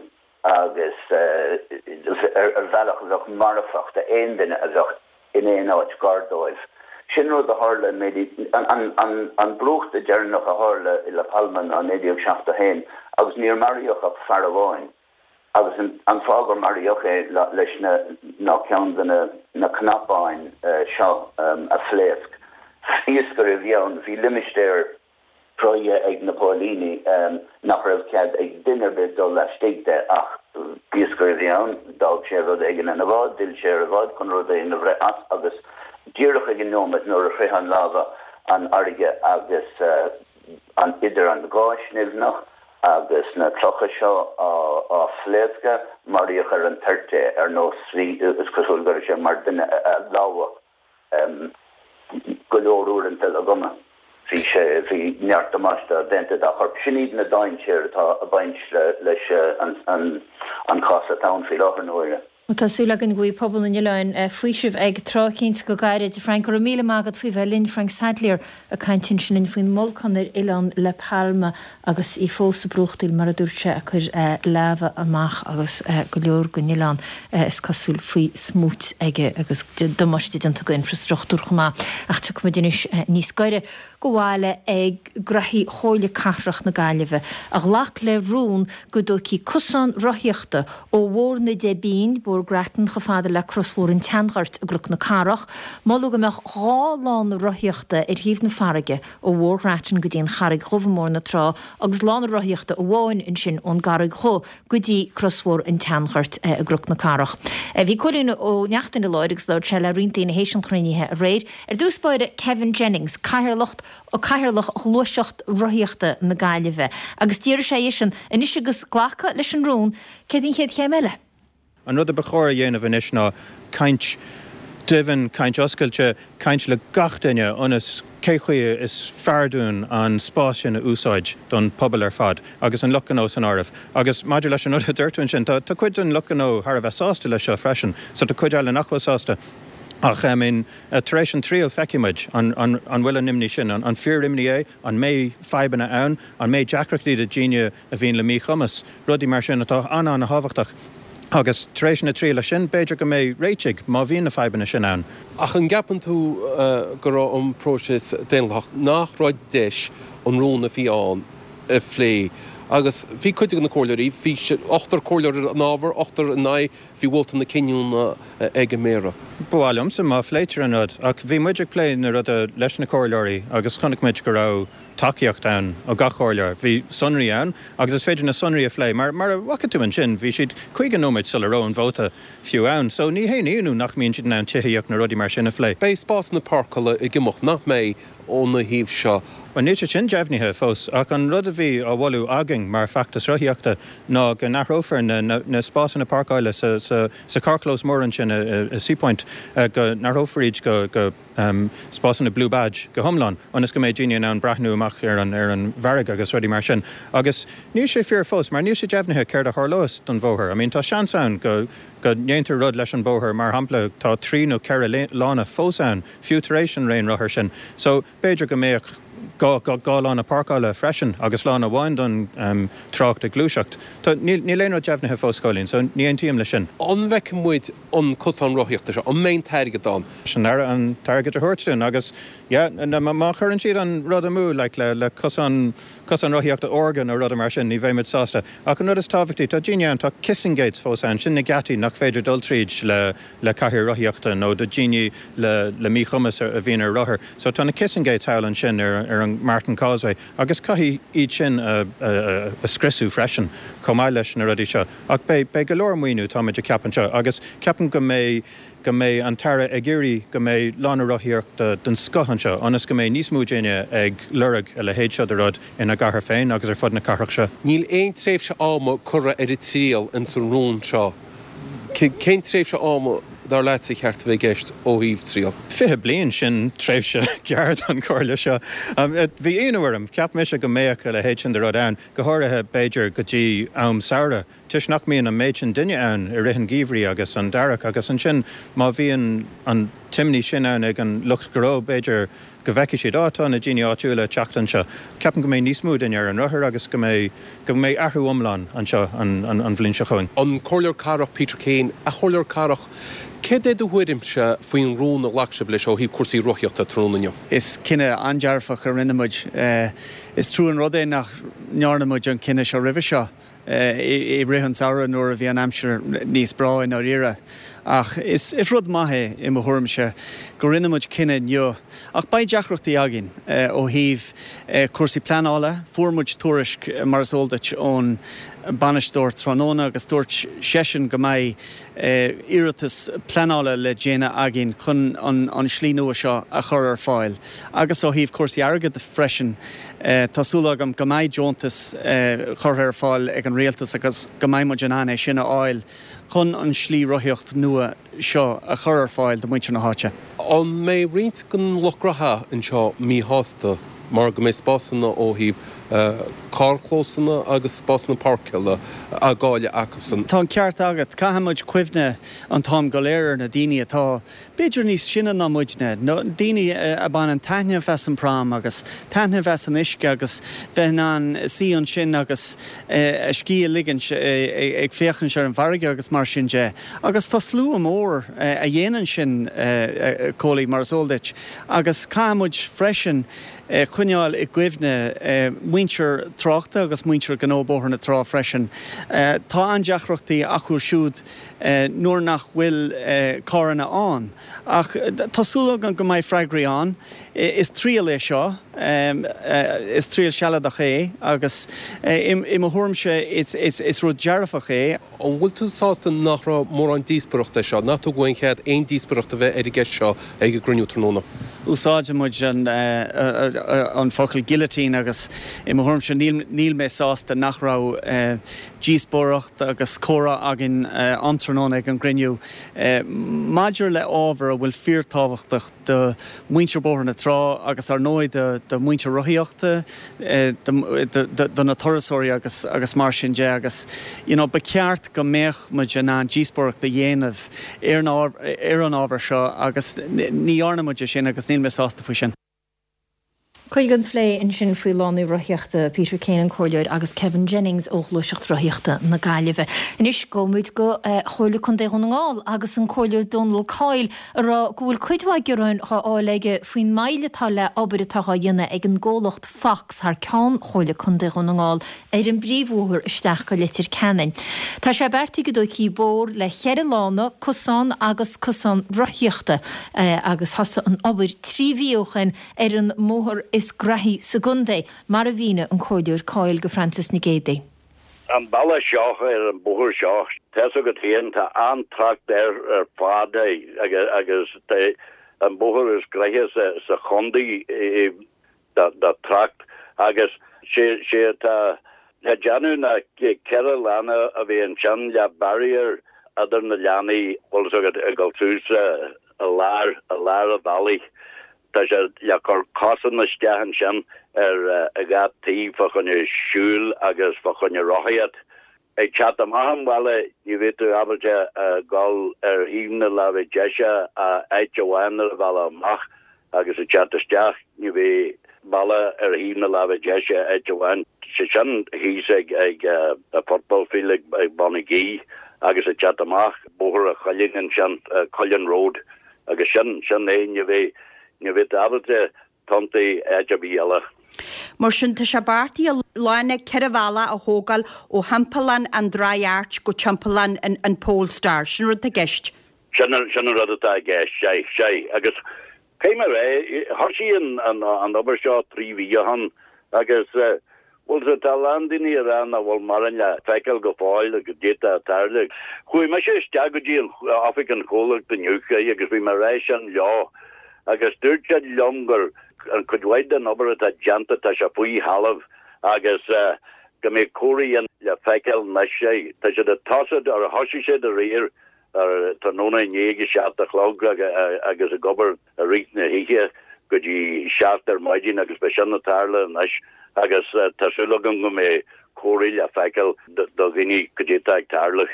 agus ar bhealach a bheadh marfach d'aon duine a bheadh in aon áit gar dóibh. Sin rud a tharla i An brúchtadh deireanach a tharla i La Palma ná 1971 agus níor maraíodh ach fear amháin agus an fáth gur maraíodh é leis ná ceann de na cnapáin seo a phléasc. Iascaire a bhí ann. Bhí limistéar cruthaithe ag na póilíní nach raibh cead ag duine ar bith dul laistigh de ach iascaire a bhí ann, d'fhág sé rud éigin ina bhád, d'fhill sé ar a bhád chun rud éigin a bhreith as agus díreach ag an neomat nuair a shroich an láva an fharraige agus an idir an gás nimhneach agus na clocha seo á phléascadh, maraíodh ar an toirt é ar nós, is cosúil go raibh sé mar duine a lámhach. go leor uaireanta le gunna. Bhí sé, bhí neart damáiste déanta dá chorp. Sin iad na dainséir atá ag baint leis an chás atá ann faoi láthair na huaire. Tá súil againn go bhfaighidh pobal na n-oileán faoiseamh ag tráth eicínt go gairid. Frank, go raibh míle maith agat faoi bheith linn. Frank Sadlier ag caint ansin linn faoin mbolcán ar oileán La Palma agus í fós ag brúchtaíl, mar a dúirt sé, ag cur láva amach agus go leor den oileán, is cosúil, faoi smúit aige agus damáiste déanta go infreastruchtúr chomh maith. Ach tiocfaimid anois níos gaire go bhaile ag graithí Chomhairle Cathrach na Gaillimhe, a ghlac le rún go dtógfaí cosán rothaíochta ó Bhóthar na Deich bPingin, Bóthar Grattan, chomh fada le Crosbhóthar an tSeanghoirt i gCnoc na Cathrach. Moladh go mbeadh 2 lána rothaíochta ar thaobh na farraige ó Bhóthar Ghrattan go dtí an Charraig Dhubh i mBóthar na Trá agus lána rothaíochta amháin ansin ón gCarraig Dhubh go dtí Crosbhóthar an tSeanghoirt i gCnoc na Cathrach. Bhí Cóilín Ó Neachtain i láthair agus labhair sé le roinnt daoine théis an chruinnithe aréir. Ar dtús báire Kevin Jennings, Cathaoirleach Cathaoirleach Ghluaiseacht Rothaíochta na Gaillimhe agus d'fhiafraigh sé dheisean, anois agus glacadh leis an rún, céard an chéad chéim eile? An rud a ba chóir a dhéanamh anois ná caint doimhin, caint oscailte, caint le gach duine ionas cé chaoi is fearr dúinn an spás sin a úsáid don pobal ar fad agus an lucht gnó san áireamh. Agus maidir leis an rud a dúirt tú ansin, tá cuid den lucht gnó thar a bheith sásta leis seo freisin, so tá cuid eile nach bhfuil sásta. Ach I mean, tar éis an triail feicfidh muid an bhfuil an imní sin, an fíor-imní é, an mbeidh fadhbanna ann, an mbeidh deacrachtaí do dhaoine a bhíonn le míchumas, rudaí mar sin atá an-an-thábhachtach. Agus tar éis na trialach sin, b'fhéidir go mbeidh réitigh, má bhíonn na fadhbanna sin ann. Ach an gceapann tú go raibh an próiseas daonlathach, nach raibh deis an rún a bhí ann a phlé? Agus bhí cuid de na comhairleoirí, bhí ochtar comhairleoir in fhabhar, ochtar in aghaidh, bhí vóta na cinniúna ag an Méara. Ba mhaith liomsa má phléitear an rud, ach bhí muid ag plé na ruda leis na comhairleoirí agus chonaic muid go raibh tacaíocht ann ó gach comhairleoir. Bhí sonraí ann agus is féidir na sonraí a phlé. Mar, mar a bhfaca tú ansin, bhí siad 50 nóiméad sula raibh an vóta fiú ann. So ní haon ionadh nach mbíonn siad in ann tithíocht nó rudaí mar sin a phlé. Beidh spásanna páirceála ag imeacht, nach mbeidh, óna thaobh seo? Bhuel, níl sé sin deimhnithe fós, ach an rud a bhí á mholadh againn mar feachtas rothaíochta ná go n-athrófar na, na, na spásanna páirceála sa, sa, sa carrchlós mór ansin i, i Seapoint, go n-athrófar iad go, go. spásanna Blue Badge go hiomlán, ionas go mbeidh daoine in ann breathnú amach ar an ar an bhfarraige agus rudaí mar sin. Agus níl sé fíor fós, mar níl sé deimhnithe céard a tharlós don bhóthar. I mean, tá seans ann go go ndéantar rud leis an bóthar, mar shampla, tá trí nó ceithre lána fós ann, fiú tar éis an raon rothar sin. So, b'fhéidir go mbeadh gá lána páirceála freisin agus lána amháin don trácht ag gluaiseacht. Tá, níl níl aon rud deimhnithe fós, Cóilín, so ní aontaím leis sin. An bhfeicfidh muid an cosán rothaíochta seo, an mbeidh an t-airgead ann? Leis an Aire an t-airgead a thabhairt dúinn agus yeah, má chuireann siad an rud amú like le le cosán, cosán rothaíochta órga nó ruda mar sin, ní bheidh muid sásta. Ach an rud is tábhachtaí, tá daoine ann, tá kissing gates fós ann, sin na geataí nach féidir dul tríd le le cathaoir rothaíochta nó do dhaoine le le míchumas a bhíonn ar rothar. So tá na kissing gates thall ansin ar ar an Martin Causeway agus caithfidh iad sin a a a scriosadh freisin chomh maith leis na rudaí seo. Ach beidh, beidh go leor maoiniú, táimid ag ceapadh anseo, agus ceapaim go mbeidh, go mbeidh an tAire ag iarraidh go mbeidh lána rothaíochta den scoth anseo, ionas go mbeidh níos mó daoine ag lorg a leithéid seo de rud ina gcathair féin agus ar fud na cathrach seo. Níl aon tréimhse ama curtha ar an triail ins an rún seo. Cén tréimhse ama, dar leatsa, a cheart a bheith i gceist ó thaobh triail? 20 bliain, sin tréimhse gearr don chomhairle seo. Bhí ionadh orm, cheap mise go mbeadh a leithéid sin de rud ann. go háirithe, b'fhéidir, go dtí am samhraidh, toisc nach mbíonn an méid sin duine ann i rith an gheimhridh agus an earraigh, agus ansin má bhíonn an t-imní sin ann ag an lucht gnó, b'fhéidir go bhfeicfidh siad, á, tá na daoine áitiúla ag teacht anseo. Ceapaim go mbeidh níos mó duine ar an rothar agus go mbeidh, go mbeidh athrú iomlán anseo an, an, an bhliain seo chugainn. An Comhairleoir Cathrach Peter Keane, A Chomhairleoir Cathrach, Céard é do thuairimse faoin rún a ghlac sibh leis ó thaobh cúrsaí rothaíochta tráthnóna inniu? Is cinneadh an-dearfach a rinne muid. Is trua an rud é nach ndearna muid an cinneadh seo roimhe seo, i rith an samhradh nuair a bhí an aimsir níos breá i ndáiríre. Ach is rud maith é, i mo thuairimse, go rinne muid cinneadh inniu. Ach beidh deacrachtaí againn ó thaobh cúrsaí pleanála. Fuair muid tuairisc, mar is eol duit, ón bainisteoir tráthnóna agus dúirt seisean go mbeidh iarratas pleanála le déanamh againn chun an slí nua seo a chur ar fáil. Agus ó thaobh cúrsaí airgid freisin, tá súil agam go mbeidh deontas curtha ar fáil ag an rialtas agus go mbeidh muid in ann é sin a fháil chun an slí rothaíocht nua seo a chur ar fáil do mhuintir na háite. An mbeidh roinnt den lucht graithe anseo míshásta mar go mbeidh spásanna ó thaobh carrchlósanna agus spásanna páirceála á gcailleadh acusan? Tá an ceart agat. Caithfidh muid cuimhne an t-am go léir ar na daoine atá b'fhéidir níos sine ná muidne, daoine a baineann taitneamh as an prom agus taitneamh as an uisce agus bheith in ann suí ansin agus a scíth a ligint ag féachaint ar an bhfarraige agus mar sin de. Agus tá slua mór a dhéanann sin, a Chóilí, mar is eol duit. Agus caithfidh muid freisin coinneáil i gcuimhne muintir tráchta agus muintir gnó Bóthar na Trá freisin. Tá an-deacrachtaí acu siúd nuair nach bhfuil carranna ann. Ach tá súil agam go mbeidh freagraí ann. Is triail é seo. Is triail sealadach é agus i mo thuairimse is rud dearfach é. An bhfuil tú sásta nach raibh mórán díospoireachta air seo, nach tugadh aon chead aon díospoireacht a bheith ar an gceist seo ag an gcruinniú tráthnóna? Úsáideann muid an focal guillotine agus i mo thuairimse níl mé sásta nach raibh díospóireacht agus comhrá againn an tráthnóna ag an gcruinniú maidir le ábhar a bhfuil fíortábhachtach do mhuintir Bóthar na Trá agus ar ndóigh do mhuintir rothaíochta, do na turasóirí agus agus mar sin de agus you know ba cheart go mbeadh muid in ann díospóireacht a dhéanamh ar an ábhar seo agus ní dhearna muid é sin agus níl mé sásta faoi sin. Cuid den phlé ansin faoi lánaí rothaíochta, Peter Kane, an Comhairleoir, agus Kevin Jennings ó Ghluaiseacht Rothaíochta na Gaillimhe. Anois gabhfaimid go Comhairle Contae Dhún na nGall agus an Comhairleoir Dónal Coyle ag rá go bhfuil cuid mhaith gearáin dhá fháil aige faoin moill atá le obair atá dhá dhéanamh ag an gcomhlacht Fox thar ceann Chomhairle Contae Dhún na nGall ar an bpríomhbhóthar isteach go Leitir Ceanainn. Tá sé beartaithe go dtógfaí bóthar le cheithre lána, cosán agus cosán rothaíochta agus thosaigh an obair 3 mhí ó shin ar an mbóthar is graithí sa gcontae, mar a mhínigh an Comhairleoir Coyle go Frances Nic Géadaigh. An bealach seo, ar an bóthar seo, tá's agat féin, tá an-trácht air ar fad agus tá an bóthar is graithe sa chontae do trácht agus sé atá le déanamh ná 4 lána a bheith ansin le barrier idir na lánaí, bhfuil 's agat, ag dul suas i lár, i lár an bhealaigh. Tá sé le cur cosán isteach ansin ar dhá taobh fá choinne siúl agus fá choinne rothaíocht. Ag teacht amach an bhaile ní bheidh tú ábalta a dhul ar thaobh na láimhe deise ach áit amháin ar an bhealach amach agus ag teacht isteach ní bheidh bealach ar thaobh na láimhe deise áit amháin, sé sin thíos ag ag an football field ag Bonagee agus ag teacht amach Bóthar an Chuilinn ansin, Cuillin Road agus sin sin é ní bheidh ní bheidh tú ábalta tiontú áit ar bith eile. Mar sin, tá sé beartaithe lána 4 bhealach a thógáil ó thimpeallán an Dry Arch go timpeallán an Polestar. Sin an rud atá i gceist. Sin an rud atá i gceist, sea, sea. Agus caithfidh mé a rá, thosaigh an obair seo 3 mhí ó shin agus, bhuel, tá a lán daoine ag rá nach bhfuil mórán le feiceáil go fóill goidé atá ag tarlú. Chuaigh mise isteach go dtí oifig an chomhlacht inniu agus bhí mé ag rá sin leo agus dúirt siad liom gur an cuid mhaith den obair atá déanta tá sé faoi thalamh agus go mbeidh comharthaí le feiceáil anois. Tá siad ag tosú, or thosaigh siad aréir ar tráthnóna inné ag a 7 a chlog agus ag obair i rith na hoíche go dtí 7 ar maidin agus beidh sin ag tarlú anois agus tá súil agam go mbeidh comharthaí le feiceáil do dhaoine goidé atá ag tarlú.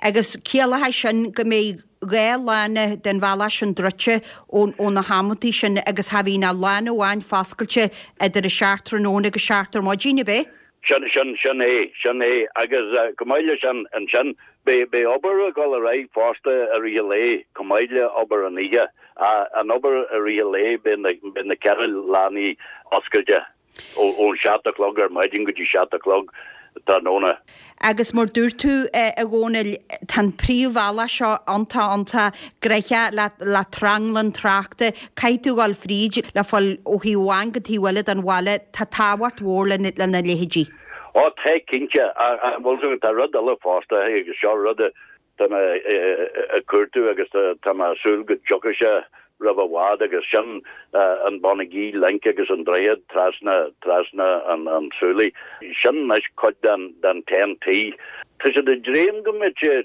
Agus ciallóidh sin go mbeidh 2 lána den bhealach sin druidte ó na hamantaí sin agus cha bhíonn ach lána amháin foscailte idir a 7 tráthnóna agus 7 ar maidin, ab é? Sin, sin, sin é, sin é. Agus chomh maith leis sin, ansin, beidh, beidh obair ag dul ar aghaidh fosta i rith an lae, chomh maith le obair an oíche. An obair i rith an lae, beidh na, beidh na ceithre lánaí oscailte ón seacht a chlog ar maidin go dtí seacht a chlog tráthnóna. Agus mar dúirt tú, a Dhónaill, tá an príomhbhealach seo iontach, iontach gnoitheach le, le tranglam tráchta. Caithfidh tú dhul fríd le fáil ó thaobh amháin go taobh eile den bhaile. Tá tábhacht mhór lena, lena leithéidí. Ó, tá cinnte. Ach, bhfuil 's agat, tá rud eile fosta agus seo rud a, Tá mé ag cuartú agus tá mé ag súil go dtiocfaidh sé roimh i bhfad agus sin an Bonagee Link agus an droichead trasna trasna an tSúilí. Sin anois cuid den den TEN-T. Tá siad ag dréim go mbeidh sé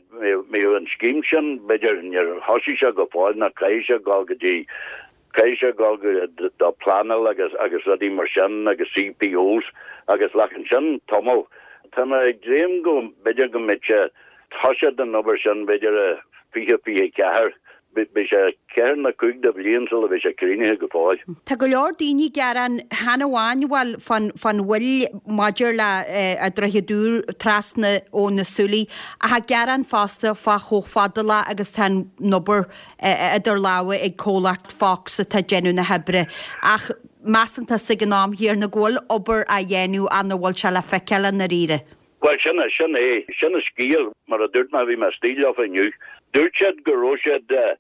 mbeidh an scéim sin b'fhéidir níor thosaigh sé go fóill ná caithfidh sé dul go dtí caithfidh sé dul go do pleanáil agus agus rudaí mar sin agus CPOs agus glacann sin tamall. Tá mé ag dréim go b'fhéidir go mbeidh sé toiseacht an obair sin b'fhéidir i 2024. Beidh sé ceathair nó cúig de bhliain sula bheidh sé críochnaithe go fóill. Tá go leor daoine ag gearán chan amháin bhuel fán fán mhoill maidir le an droichead úr trasna ó na Súilí ach ag gearán fosta fá chomh fadálach agus tá an obair idir lámha ag comhlacht Fox atá ag déanamh na hoibre ach measann tusa ag an am chéanna go bhfuil obair á dhéanamh ach nach bhfuil sé le feiceáil i ndáiríre. Bhuel, sin é, sin é, sin an scéal. Mar a dúirt mé, bhí mé istigh leofa inniu. Dúirt siad go raibh siad ar,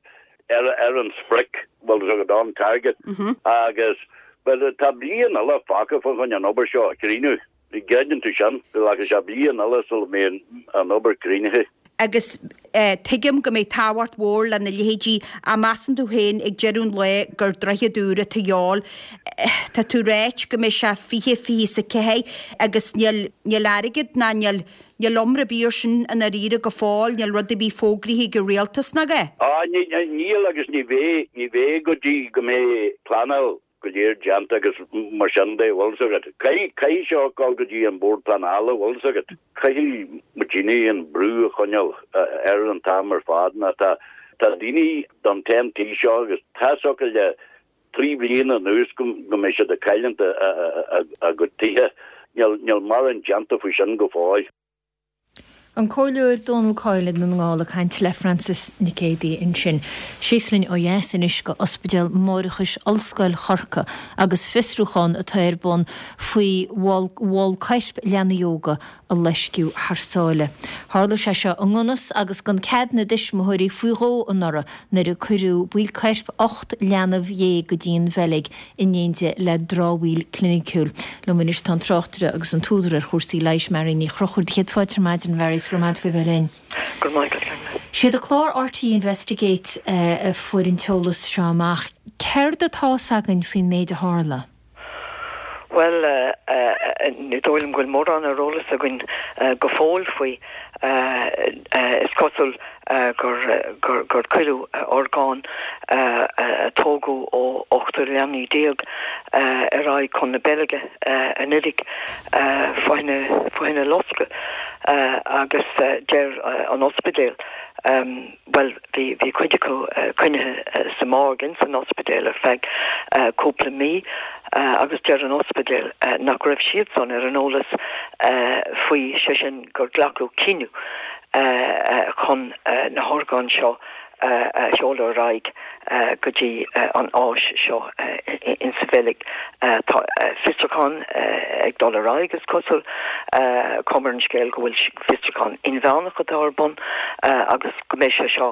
ar an sprioc, bhfuil 's agat, on target, agus, bhuel, tá bliain eile fágtha fá choinne an obair seo a chríochnú. An gcreideann tú sin? Glacfaidh sé bliain eile sula mbeidh an obair críochnaithe. Agus tuigim go mbeidh tábhacht mhór lena leithéidí, ach measann tú féin ag deireadh an lae gur droichead úr atá de dhíobháil. Tá tú ráit go mbeidh sé 20, 24 agus níl, níl airgead ná níl, níl iomrá ar bith ar sin i ndáiríre go fóill, níl rud ar bith fógraithe ag an rialtas nach ea? Á, níl agus ní bheidh, ní bheidh go dtí go mbeidh pleanáil go léir déanta agus mar sin de, bhfuil 's agat. Caithfidh, caithfidh seo dul go dtí an Bord Pleanála, bhfuil 's agat. Caithfidh muidinne an brú a choinneáil air an t-am ar fad nó tá, tá daoine don TEN-T seo agus tá's acu le 3 bhliain anuas go, go mbeidh siad ag cailliúint a, a, a, a gcuid tithe. Níl, níl mórán déanta faoi sin go fóill. An Comhairleoir Dónal Coyle i nDún na nGall ag caint le Frances Nic Géadaigh ansin. Síos linn ó dheas anois go Ospidéal Máithreachais Ollscoil Chorcaí agus fiosrúchán atá ar bun faoi bhall coirp leanaí óga a loisceadh thar sáile. Tharla sé seo i ngan fhios agus gan cead na dtuismitheoirí faoi dhó anuraidh nuair a cuireadh baill coirp 18 leanbh go dtí an Bheilg in éindí le dramhaíl cliniciúil. Liom anois tá an tráchtaire agus an t-údar ar chúrsaí leighis, Mary Ní Chonchúir. Do chéad fáilte ar maidin, a Mhary, is go raibh maith agat faoi bheith linn. Go raibh maith agat, Gormlaith. Siad an clár RTÉ Investigate a fuair an t-eolas seo amach. Céard atá's againn faoin méid a tharla? Bhuel, ní dóigh liom go bhfuil mórán ar eolas againn go fóill faoi. Is cosúil gur gur cuireadh orgáin a tógadh ó ochtar leanaí déag ar aghaidh chun na Beilge anuraidh fá choinne loscadh agus deir an ospidéal, bhuel bhí bhí cuid acu coinnithe sa morgue ins an ospidéal ar feadh cúpla mí agus deir an ospidéal nach raibh siadsan ar an eolas faoi, sé sin gur glacadh cinneadh chun na horgáin seo a sheoladh ar aghaidh go dtí an áis seo insa Bheilg. Tá fiosrúchán ag dul ar aghaidh, is cosúil. Cuma ar an scéal go bhfuil fiosrúchán inmheánach atá ar bun agus go mbeidh sé seo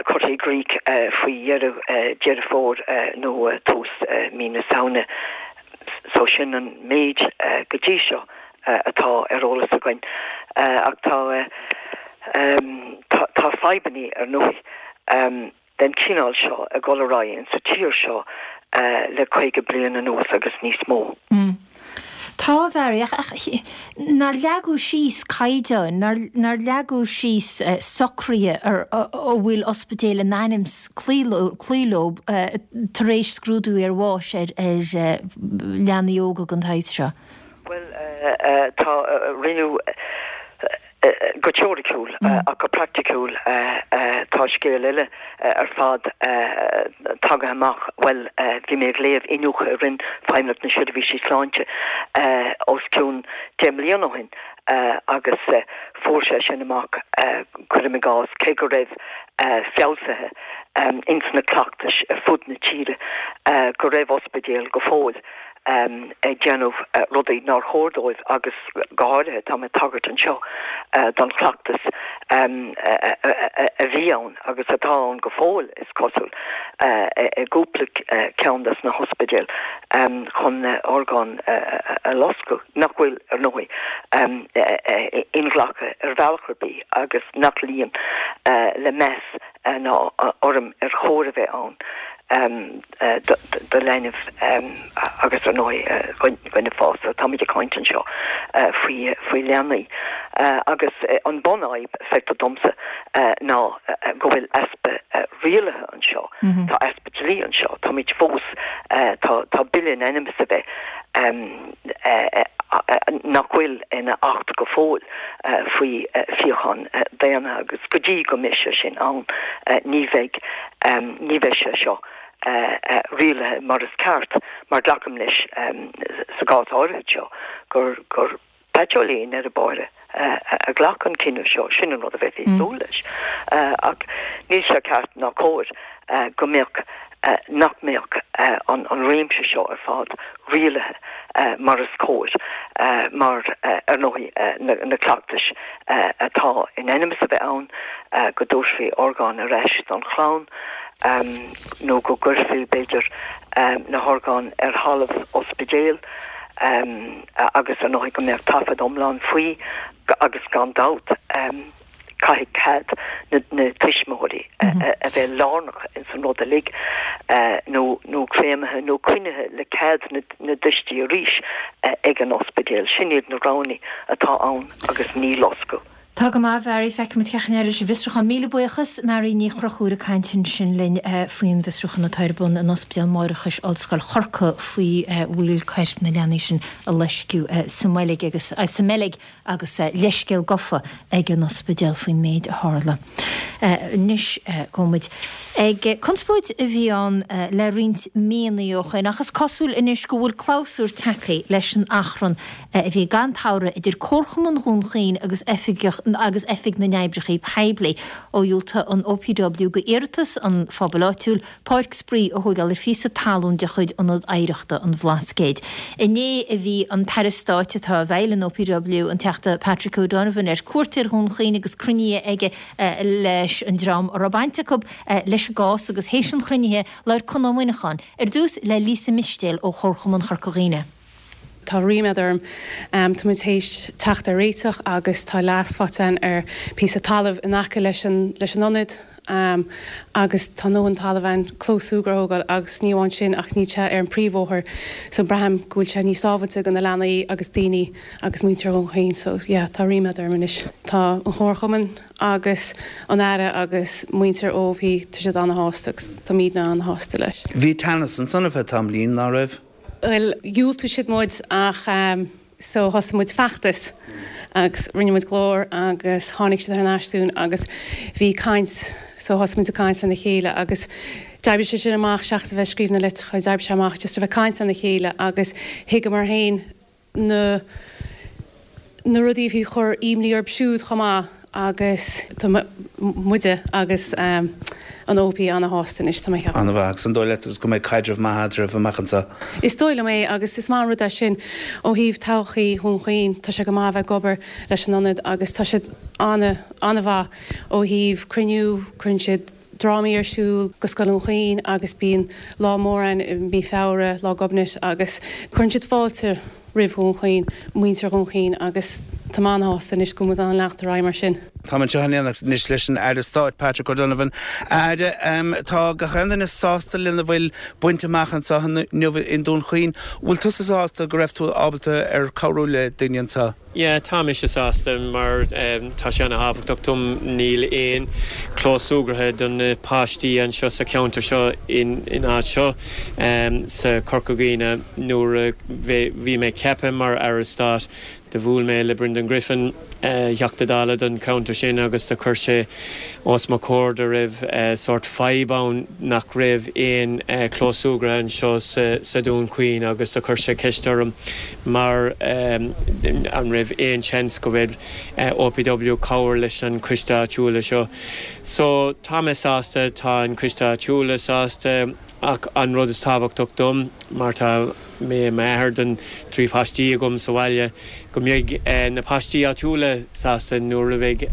curtha i gcrích faoi dheireadh Deireadh Fómhair nó tús mí na Samhna. So sin an méid go dtí seo. atá ar eolas againn. Ach tá tá fadhbannaí ar ndóigh den chineál seo ag dul ar aghaidh insa tír seo le 50 bliain anuas agus níos mó. Tá, a Mhary, ach nár leagadh síos caighdeáin, nár leagadh síos socruithe ar a bhfuil ospidéil in ainm 's cloí leo tar éis scrúdú ar bháis ar leanaí óga den tsaghas seo? Bhuel, tá, rinneadh. Go teoiriciúil, ach go praiticiúil tá scéal eile ar fad tagaithe amach. Bhuel, bhí mé ag léamh iniúchadh a rinne Feidhmeannacht na Seirbhísí Sláinte os cionn 10 mbliana ó shin agus fuair sé sin amach, cuirim i gcás, cé go raibh feabhsuithe ins na cleachtais ar fud na tíre, go raibh ospidéil go fóill ag déanamh rudaí nár chóir dóibh agus go háirithe tá mé ag tagairt anseo don chleachtas a bhí ann agus atá ann go fóill, is cosúil, i gcúpla ceann des na hospidéil chun orgáin a loscadh, nach bhfuil, ar ndóigh, inghlactha ar bhealach ar bith agus nach luíonn le meas ná urraim ar chóir a bheith ann do leanbh agus ar ndóigh dhuine fásta. Táimid ag caint anseo faoi faoi leanaí agus an bunfhadhb, feictear domsa, ná go bhfuil easpa rialaithe anseo. Tá easpa dlí anseo. Táimid fós, tá bille in ainm is a bheith nach bhfuil ina acht go fóill faoi fíochán daonna agus go dtí go mbeidh sé sin ann ní bheidh ní bheidh sé seo rialaithe mar is ceart mar glacaim leis sa gcás áirithe seo gur gur paiteolaí i ndeireadh báire a ghlac an cinneadh seo, sin an rud a bheifí ag súil leis. Ach níl sé ceart ná cóir go mbeadh nach mbeadh an réimse seo ar fad rialaithe mar is cóir mar, ar ndóigh, na cleachtais atá in ainm is a bheith ann, go dtabharfaí orgáin ar ais don chlann nó go gcuirfí, b'fhéidir, na horgáin ar thalamh ospidéil agus, ar ndóigh, go mbeadh taifead iomlán faoi agus gan dabht. Caithfidh cead na tuismitheoirí a bheith lárnach ins an rud uilig, nó nó créamaithe nó coinnithe le cead na dtuistí arís ag an ospidéal. Sin iad na roghanna atá ann agus ní loscadh. Tá go maith, a Mhary. Feicfimid cén chaoi a n-éireoidh leis an bhfiosrúchán. Míle buíochas, Mary Ní Chonchúir ag caint ansin linn faoin bhfiosrúchán atá ar bun in Ospidéal Máithreachais Ollscoil Chorcaí faoi bhaill coirp na leanaí sin a loisceadh sa mBeilg agus sa mBeilg agus leithscéal gofa ag an ospidéal faoin méid a tharla. Anois gabhfaidh muid ag conspóid a bhí ann le roinnt míonna ó shoin ach is cosúil anois go bhfuil clabhsúr tagtha leis an achrann a bhí gan togradh idir Comharchumann Dhún Chaoin agus agus Oifig na nOibreacha Poiblí ó dhiúltaigh an OPW go iarratas an phobail áitiúil páirc spraoi a thóigeáil ar phíosa talún de chuid Ionad Oidhreachta an Bhlascaoid. Inné a bhí an tAire Stáit atá i bhfeighil an OPW, an Teachta Patrick O'Donovan, ar cuairt ar Dhún Chaoin agus cruinnithe aige leis an dream a raibh baint acu leis an gcás agus théis an chruinnithe labhair Conn Ó Muineacháin ar dtús le Lisa Mistéil ó Chomharchumann Chorca Dhuibhne. Tá ríméad orm. Tá muid théis teacht ar réiteach agus tá leas faighte againn ar phíosa talaimh in aice leis an leis an ionad agus tá a ndóthain talaimh ann clós súgartha a thógáil agus ní amháin sin ach níl sé ar an príomhbhóthar so braithim go bhfuil sé níos sábhailte do na leanaí agus daoine agus muintir Dhún Chaoin so yeah tá ríméad orm anois. Tá an Chomharchumann agus an Aire agus muintir OOP tá siad ana-shásta agus táimidne ana-shásta leis. Bhí teannas ansan ar feadh tamaillín, ná raibh? Bhuel, dhiúltaigh siad muid ach so thosaigh muid feachtas agus rinne muid glór agus tháinig siad thar n-ais dúinn agus bhí caint so thosaigh muid ag caint lena chéile agus d'oibrigh sé sin amach seachas a bheith ag scríobh na litreacha d'oibrigh sé amach just a bheith ag caint lena chéile agus thuigeamar féin na na rudaí a bhí ag cur imní orthu siúd chomh maith agus tá muide agus an OOP ana-shásta anois, tá mé ag ceapadh. An-mhaith. Agus an dóigh leat go mbeidh caidreamh maith eadraibh amach anseo? Is dóigh liom é agus is maith an rud é sin ó thaobh todhchaí Dhún Chaoin. Tá sé go maith a bheith ag obair leis an ionad agus tá siad ana, ana-mhaith ó thaobh cruinniú, cuireann siad drámaí ar siúl go Scoil Dhún Chaoin agus bíonn lá mór ann i mí Feabhra, Lá Gobnait agus cuireann siad fáilte roimh Dhún Chaoin, muintir Dhún Chaoin agus tá mé an-shásta anois go bhfuil muid in ann leanacht ar aghaidh mar sin. Táim anseo in éineacht anois leis an Aire Stáit, Patrick O'Donovan. A Aire, tá gach aon duine sásta lena bhfuil bainte amach anseo inniu i nDún Chaoin. Bhfuil tusa sásta go raibh tú ábalta ar cabhrú le daoine anseo? Yeah, tá mise sásta mar tá sé ana-thábhachtach dom. Níl aon clós súgartha do na páistí anseo sa cheantar seo in áit seo sa Chorca Dhuibhne. Nuair a bhí mé ceaptha mar Aire Stáit do bhuail mé le Brendan Griffin. Theachta Dála don cheantar sin agus do chuir sé os mo chomhair go raibh sórt fadhb ann nach raibh aon chlós súgartha anseo sa Dún Chaoin agus do chuir sé ceist orm mar an raibh aon seans go bhfuil OPW cabhair leis an coiste áitiúla seo. So tá mé sásta, tá an coiste áitiúla sásta ach an rud is tábhachtach dom mar tá mé i m'athair don 3 phaistí agam sa bhaile, go mbeidh na paistí áitiúla sásta nuair a bheidh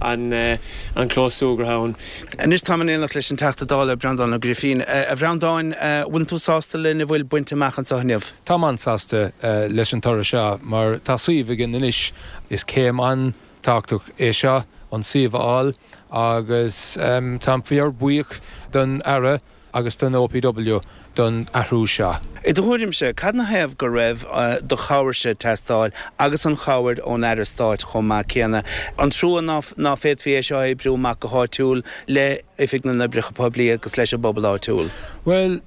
an clós súgartha ann. Anois táim in éineacht leis an Teachta Dála Breandán Ó Grifín. A Bhreandáin, bhfuil tú sásta lena bhfuil bainte amach anseo inniu? Táim an-sásta leis an toradh seo mar tá suíomh againn anois. Is céim an-tábhachtach é seo an suíomh a fháil agus táim fíor-bhuíoch don Aire agus don OPW don athrú seo. I do thuairimse, cad 'na thaobh go raibh do chabhairse ag teastáil agus an chabhair ón Aire Stáit chomh maith céanna? An trua ná féadfaí é seo a oibriú amach go háitiúil le Oifig na nOibreacha Poiblí agus leis an bpobal áitiúil? Bhuel,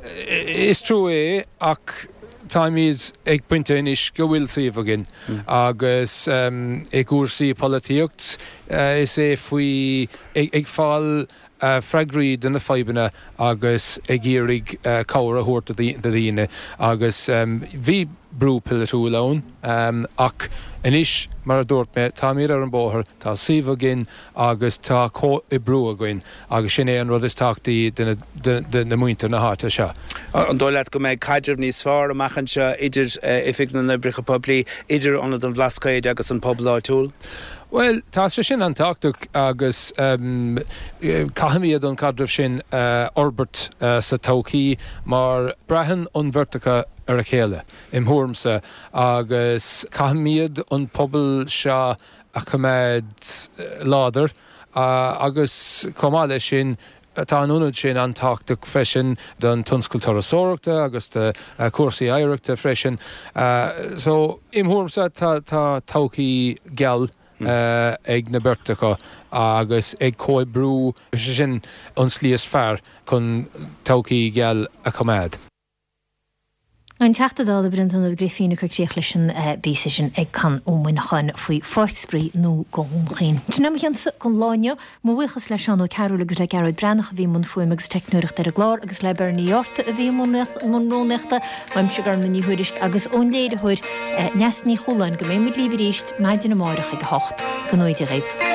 is trua é ach táimid ag pointe anois go bhfuil suíomh againn agus i gcúrsaí polaitíocht is é faoi ag fáil freagraí do na fadhbanna agus ag iarraidh cabhair a thabhairt do dhaoine agus bhí brú polaitiúil ann ach anois, mar a dúirt mé, táimid ar an bóthar, tá suíomh againn agus tá comhoibriú againn agus sin é an rud is tábhachtaí do muintir na háite seo. An dóigh leat go mbeidh caidreamh níos fearr amach anseo idir Oifig na nOibreacha Poiblí, idir Ionad an Bhlascaoid agus an pobal áitiúil? Bhuel, tá sé sin an-tábhachtach agus caithfimid an caidreamh sin a fhorbairt sa todhchaí mar braitheann an bheirt acu ar a chéile, im thuairimse, agus caithfimid an pobal seo a choimeád láidir agus chomh maith leis sin, Tá an ionad sin an-tábhachtach freisin don tionscal turasóireachta agus do chúrsaí oidhreachta freisin. So, im thuairimse, tá todhchaí geal ag na beirt acu agus ag comhoibriú, sé sin an slí is fearr chun todhchaí geal a choimeád. An Teachta Dála Breandán Ó Grifín ag cur críoch leis an bpíosa sin ag Conn Ó Muineacháin faoi Pháirc Spraoi nua do Dhún Chaoin. Sin é mo chionsa don lá inniu. Mo bhuíochas le Seán Ó Cearúil agus le Gearóid Breathnach a bhí i mbun fuaime agus teicneoireachta ar an gclár agus le Bernie Yorta a bhí i mbun rúnaíochta. Uaimse Gormlaith Ní Thuairisg agus ón léiritheoir Neasa Ní Chualáin go mbeidh muid libh arís maidin amárach ag a hocht. Go ngnóthaí Dia dhaoibh.